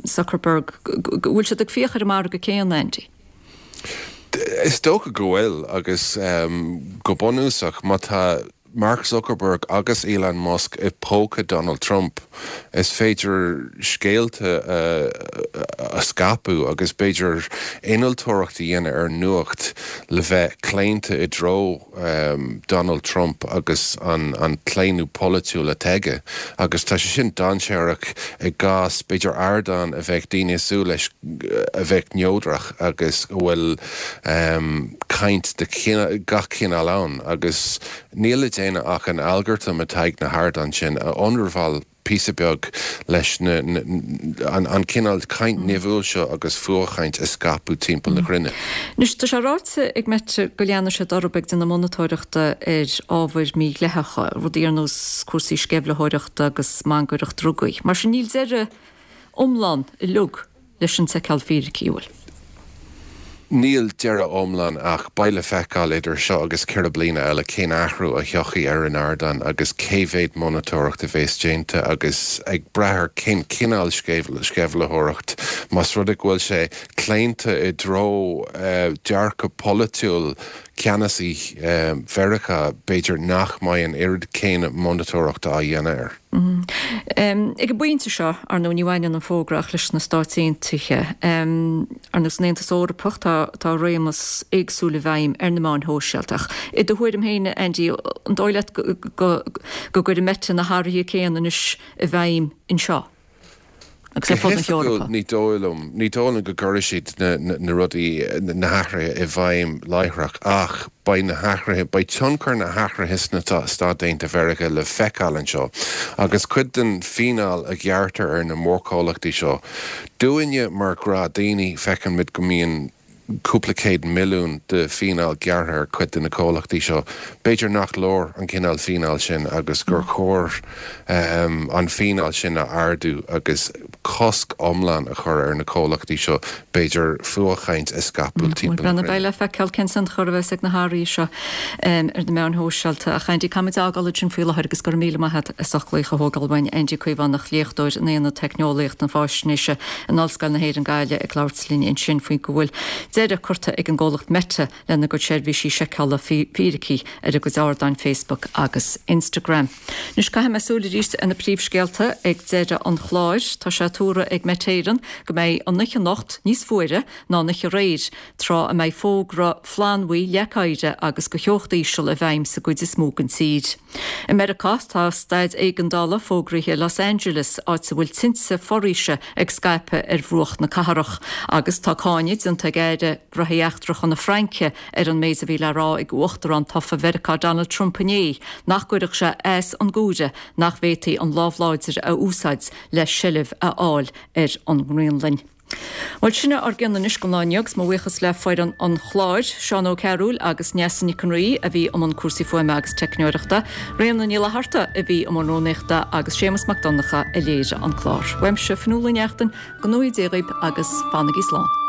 Speaker 1: Zuckerberg, go bhfuil siad ag fiach ar an margadh céanna, Andy.
Speaker 15: Is dócha go bhfuil agus go bunúsach má tá Mark Zuckerberg agus Elon Musk i póca Donald Trump, is féidir scéalta a scaipeadh agus b'fhéidir innealtóireacht a dhéanamh ar nuacht le bheith claonta i dtreo Donald Trump agus an claonadh polaitiúil atá aige. Agus tá sé sin dainséarach i gcás b'fhéidir ardán a bheadh daoine ag súil leis a bheadh neodrach agus a bhfuil caint de gach cineál ann agus níl le déanamh ach an algartam atá ag na hardáin sin a ionramháil píosa beag leis an cineál caint nimhiúil seo agus fuathchaint a scaipeadh timpeall na cruinne.
Speaker 1: Anois, tá sé ráite ag Meta go leanfaidh siad orthu ag déanamh monatóireachta ar ábhair mhídhleathacha, rudaí ar nós cúrsaí sceimhlitheoireachta agus mangaireacht drugaí. Mar sin níl deireadh iomlán uilig leis an tseiceáil fíricí, an bhfuil?
Speaker 15: Níl deireadh iomlán ach beidh le feiceáil idir seo agus ceithre bliana eile cén athrú a thiocfaidh ar an ardán agus cé mhéad monatóireacht a bheas déanta agus ag brath ar cén cineál sceimhlitheoireacht, más rud é go bhfuil sé claonta i dtreo dearcadh polaitiúil ceannasaí Mheiriceá, b'fhéidir nach mbeidh an oiread céanna monatóireachta á dhéanamh air.
Speaker 1: Ag an bpointe seo, ar ndóigh, ní bhaineann an fógra ach leis na Stáit Aontaithe. Ar ndóigh, san Aontas Eorpach, tá tá réimeas éagsúil i bhfeidhm ar na meáin shóisialta. Ach i do thuairim féin, Andy, an dóigh leat go go gcuirfidh Meta na hathruithe céanna anois i bhfeidhm anseo? agus
Speaker 15: Go
Speaker 1: ar fud na
Speaker 15: hoifigiúil,
Speaker 1: hEorpa.
Speaker 15: ní dóigh liom, ní dóigh liom go gcuirfidh siad na, na, na rudaí, na hathruithe i bhfeidhm láithreach ach beidh na hathruithe, beidh tionchar na hathruithe sna Stáit Aontaithe Mheiriceá le feiceáil anseo agus cuid den fíneáil a ghearrtar ar na mórchomhlachtaí seo, dúinne mar ghnáthdhaoine, feiceann muid go mbíonn cúpla céad milliún de fíneáil gearrtha ar chuid de na comhlachtaí seo. B'fhéidir nach leor an cineál fíneáil sin agus gur chóir an fíneáil sin a ardú agus cosc iomlán a chur ar na comhlachtaí seo b'fhéidir fuathchaint a scaipeadh timpeall na
Speaker 1: Beidh
Speaker 15: cruinne.
Speaker 1: le feiceáil cén tionchar a bheas ag na hathruithe seo ar na meáin shóisialta. Ach Andy, caithfimid é a fhágáil ansin faoi láthair agus go raibh míle maith agat as ucht glaoch a thógáil uainn. Andy Caomhánach, léachtóir in Aonad Teicneolaíocht na Faisnéise in Ollscoil na hÉireann Gaillimh ag labhairt linn ansin faoi go bhfuil deireadh curtha ag an gcomhlacht Meta lena gcuid seirbhísí seiceála fíricí ar a gcuid ardáin Facebook agus Instagram. Anois caithfidh mé súil arís ar na príomhscéalta ag deireadh an chláir. Tá sé tuartha ag Met Éireann go mbeidh an oíche anocht níos fuaire ná an oíche aréir, tráth a mbeidh fógra flannbhuí, leac oighir agus do theocht íseal i bhfeidhm sa gcuid is mó den tír. I Meiriceá tá staid éigeandála fógraithe i Los Angeles, áit a bhfuil tinte foraoise ag scaipeadh ar bhruach na cathrach, agus tá cáineadh déanta ag Aire Gnóthaí Eachtracha na Fraince ar an méid a bhí le rá ag Uachtarán tofa Mheiriceá Donald Trump inné, nach gcuirfeadh sé as an gCóiré nach bhféadfaí an lámh láidir a úsáid le seilbh a fháil ar an nGraonlainn. Bhuel, sin é ár gcion anois don lá inniu agus mo bhuíochas le foireann an chláir, Seán Ó Cearúil agus Neasa Nic an Rí a bhí i mbun cúrsaí fuaime agus teicneoireachta, Ríona Ní Fhlatharta a bhí i mbun rúnaíochta agus Séamus Mac Donncha a léirigh an clár. Uaimse, Fionnuala Ní Neachtain, go ngnóthaí Dia dhaoibh agus fanaigí slán.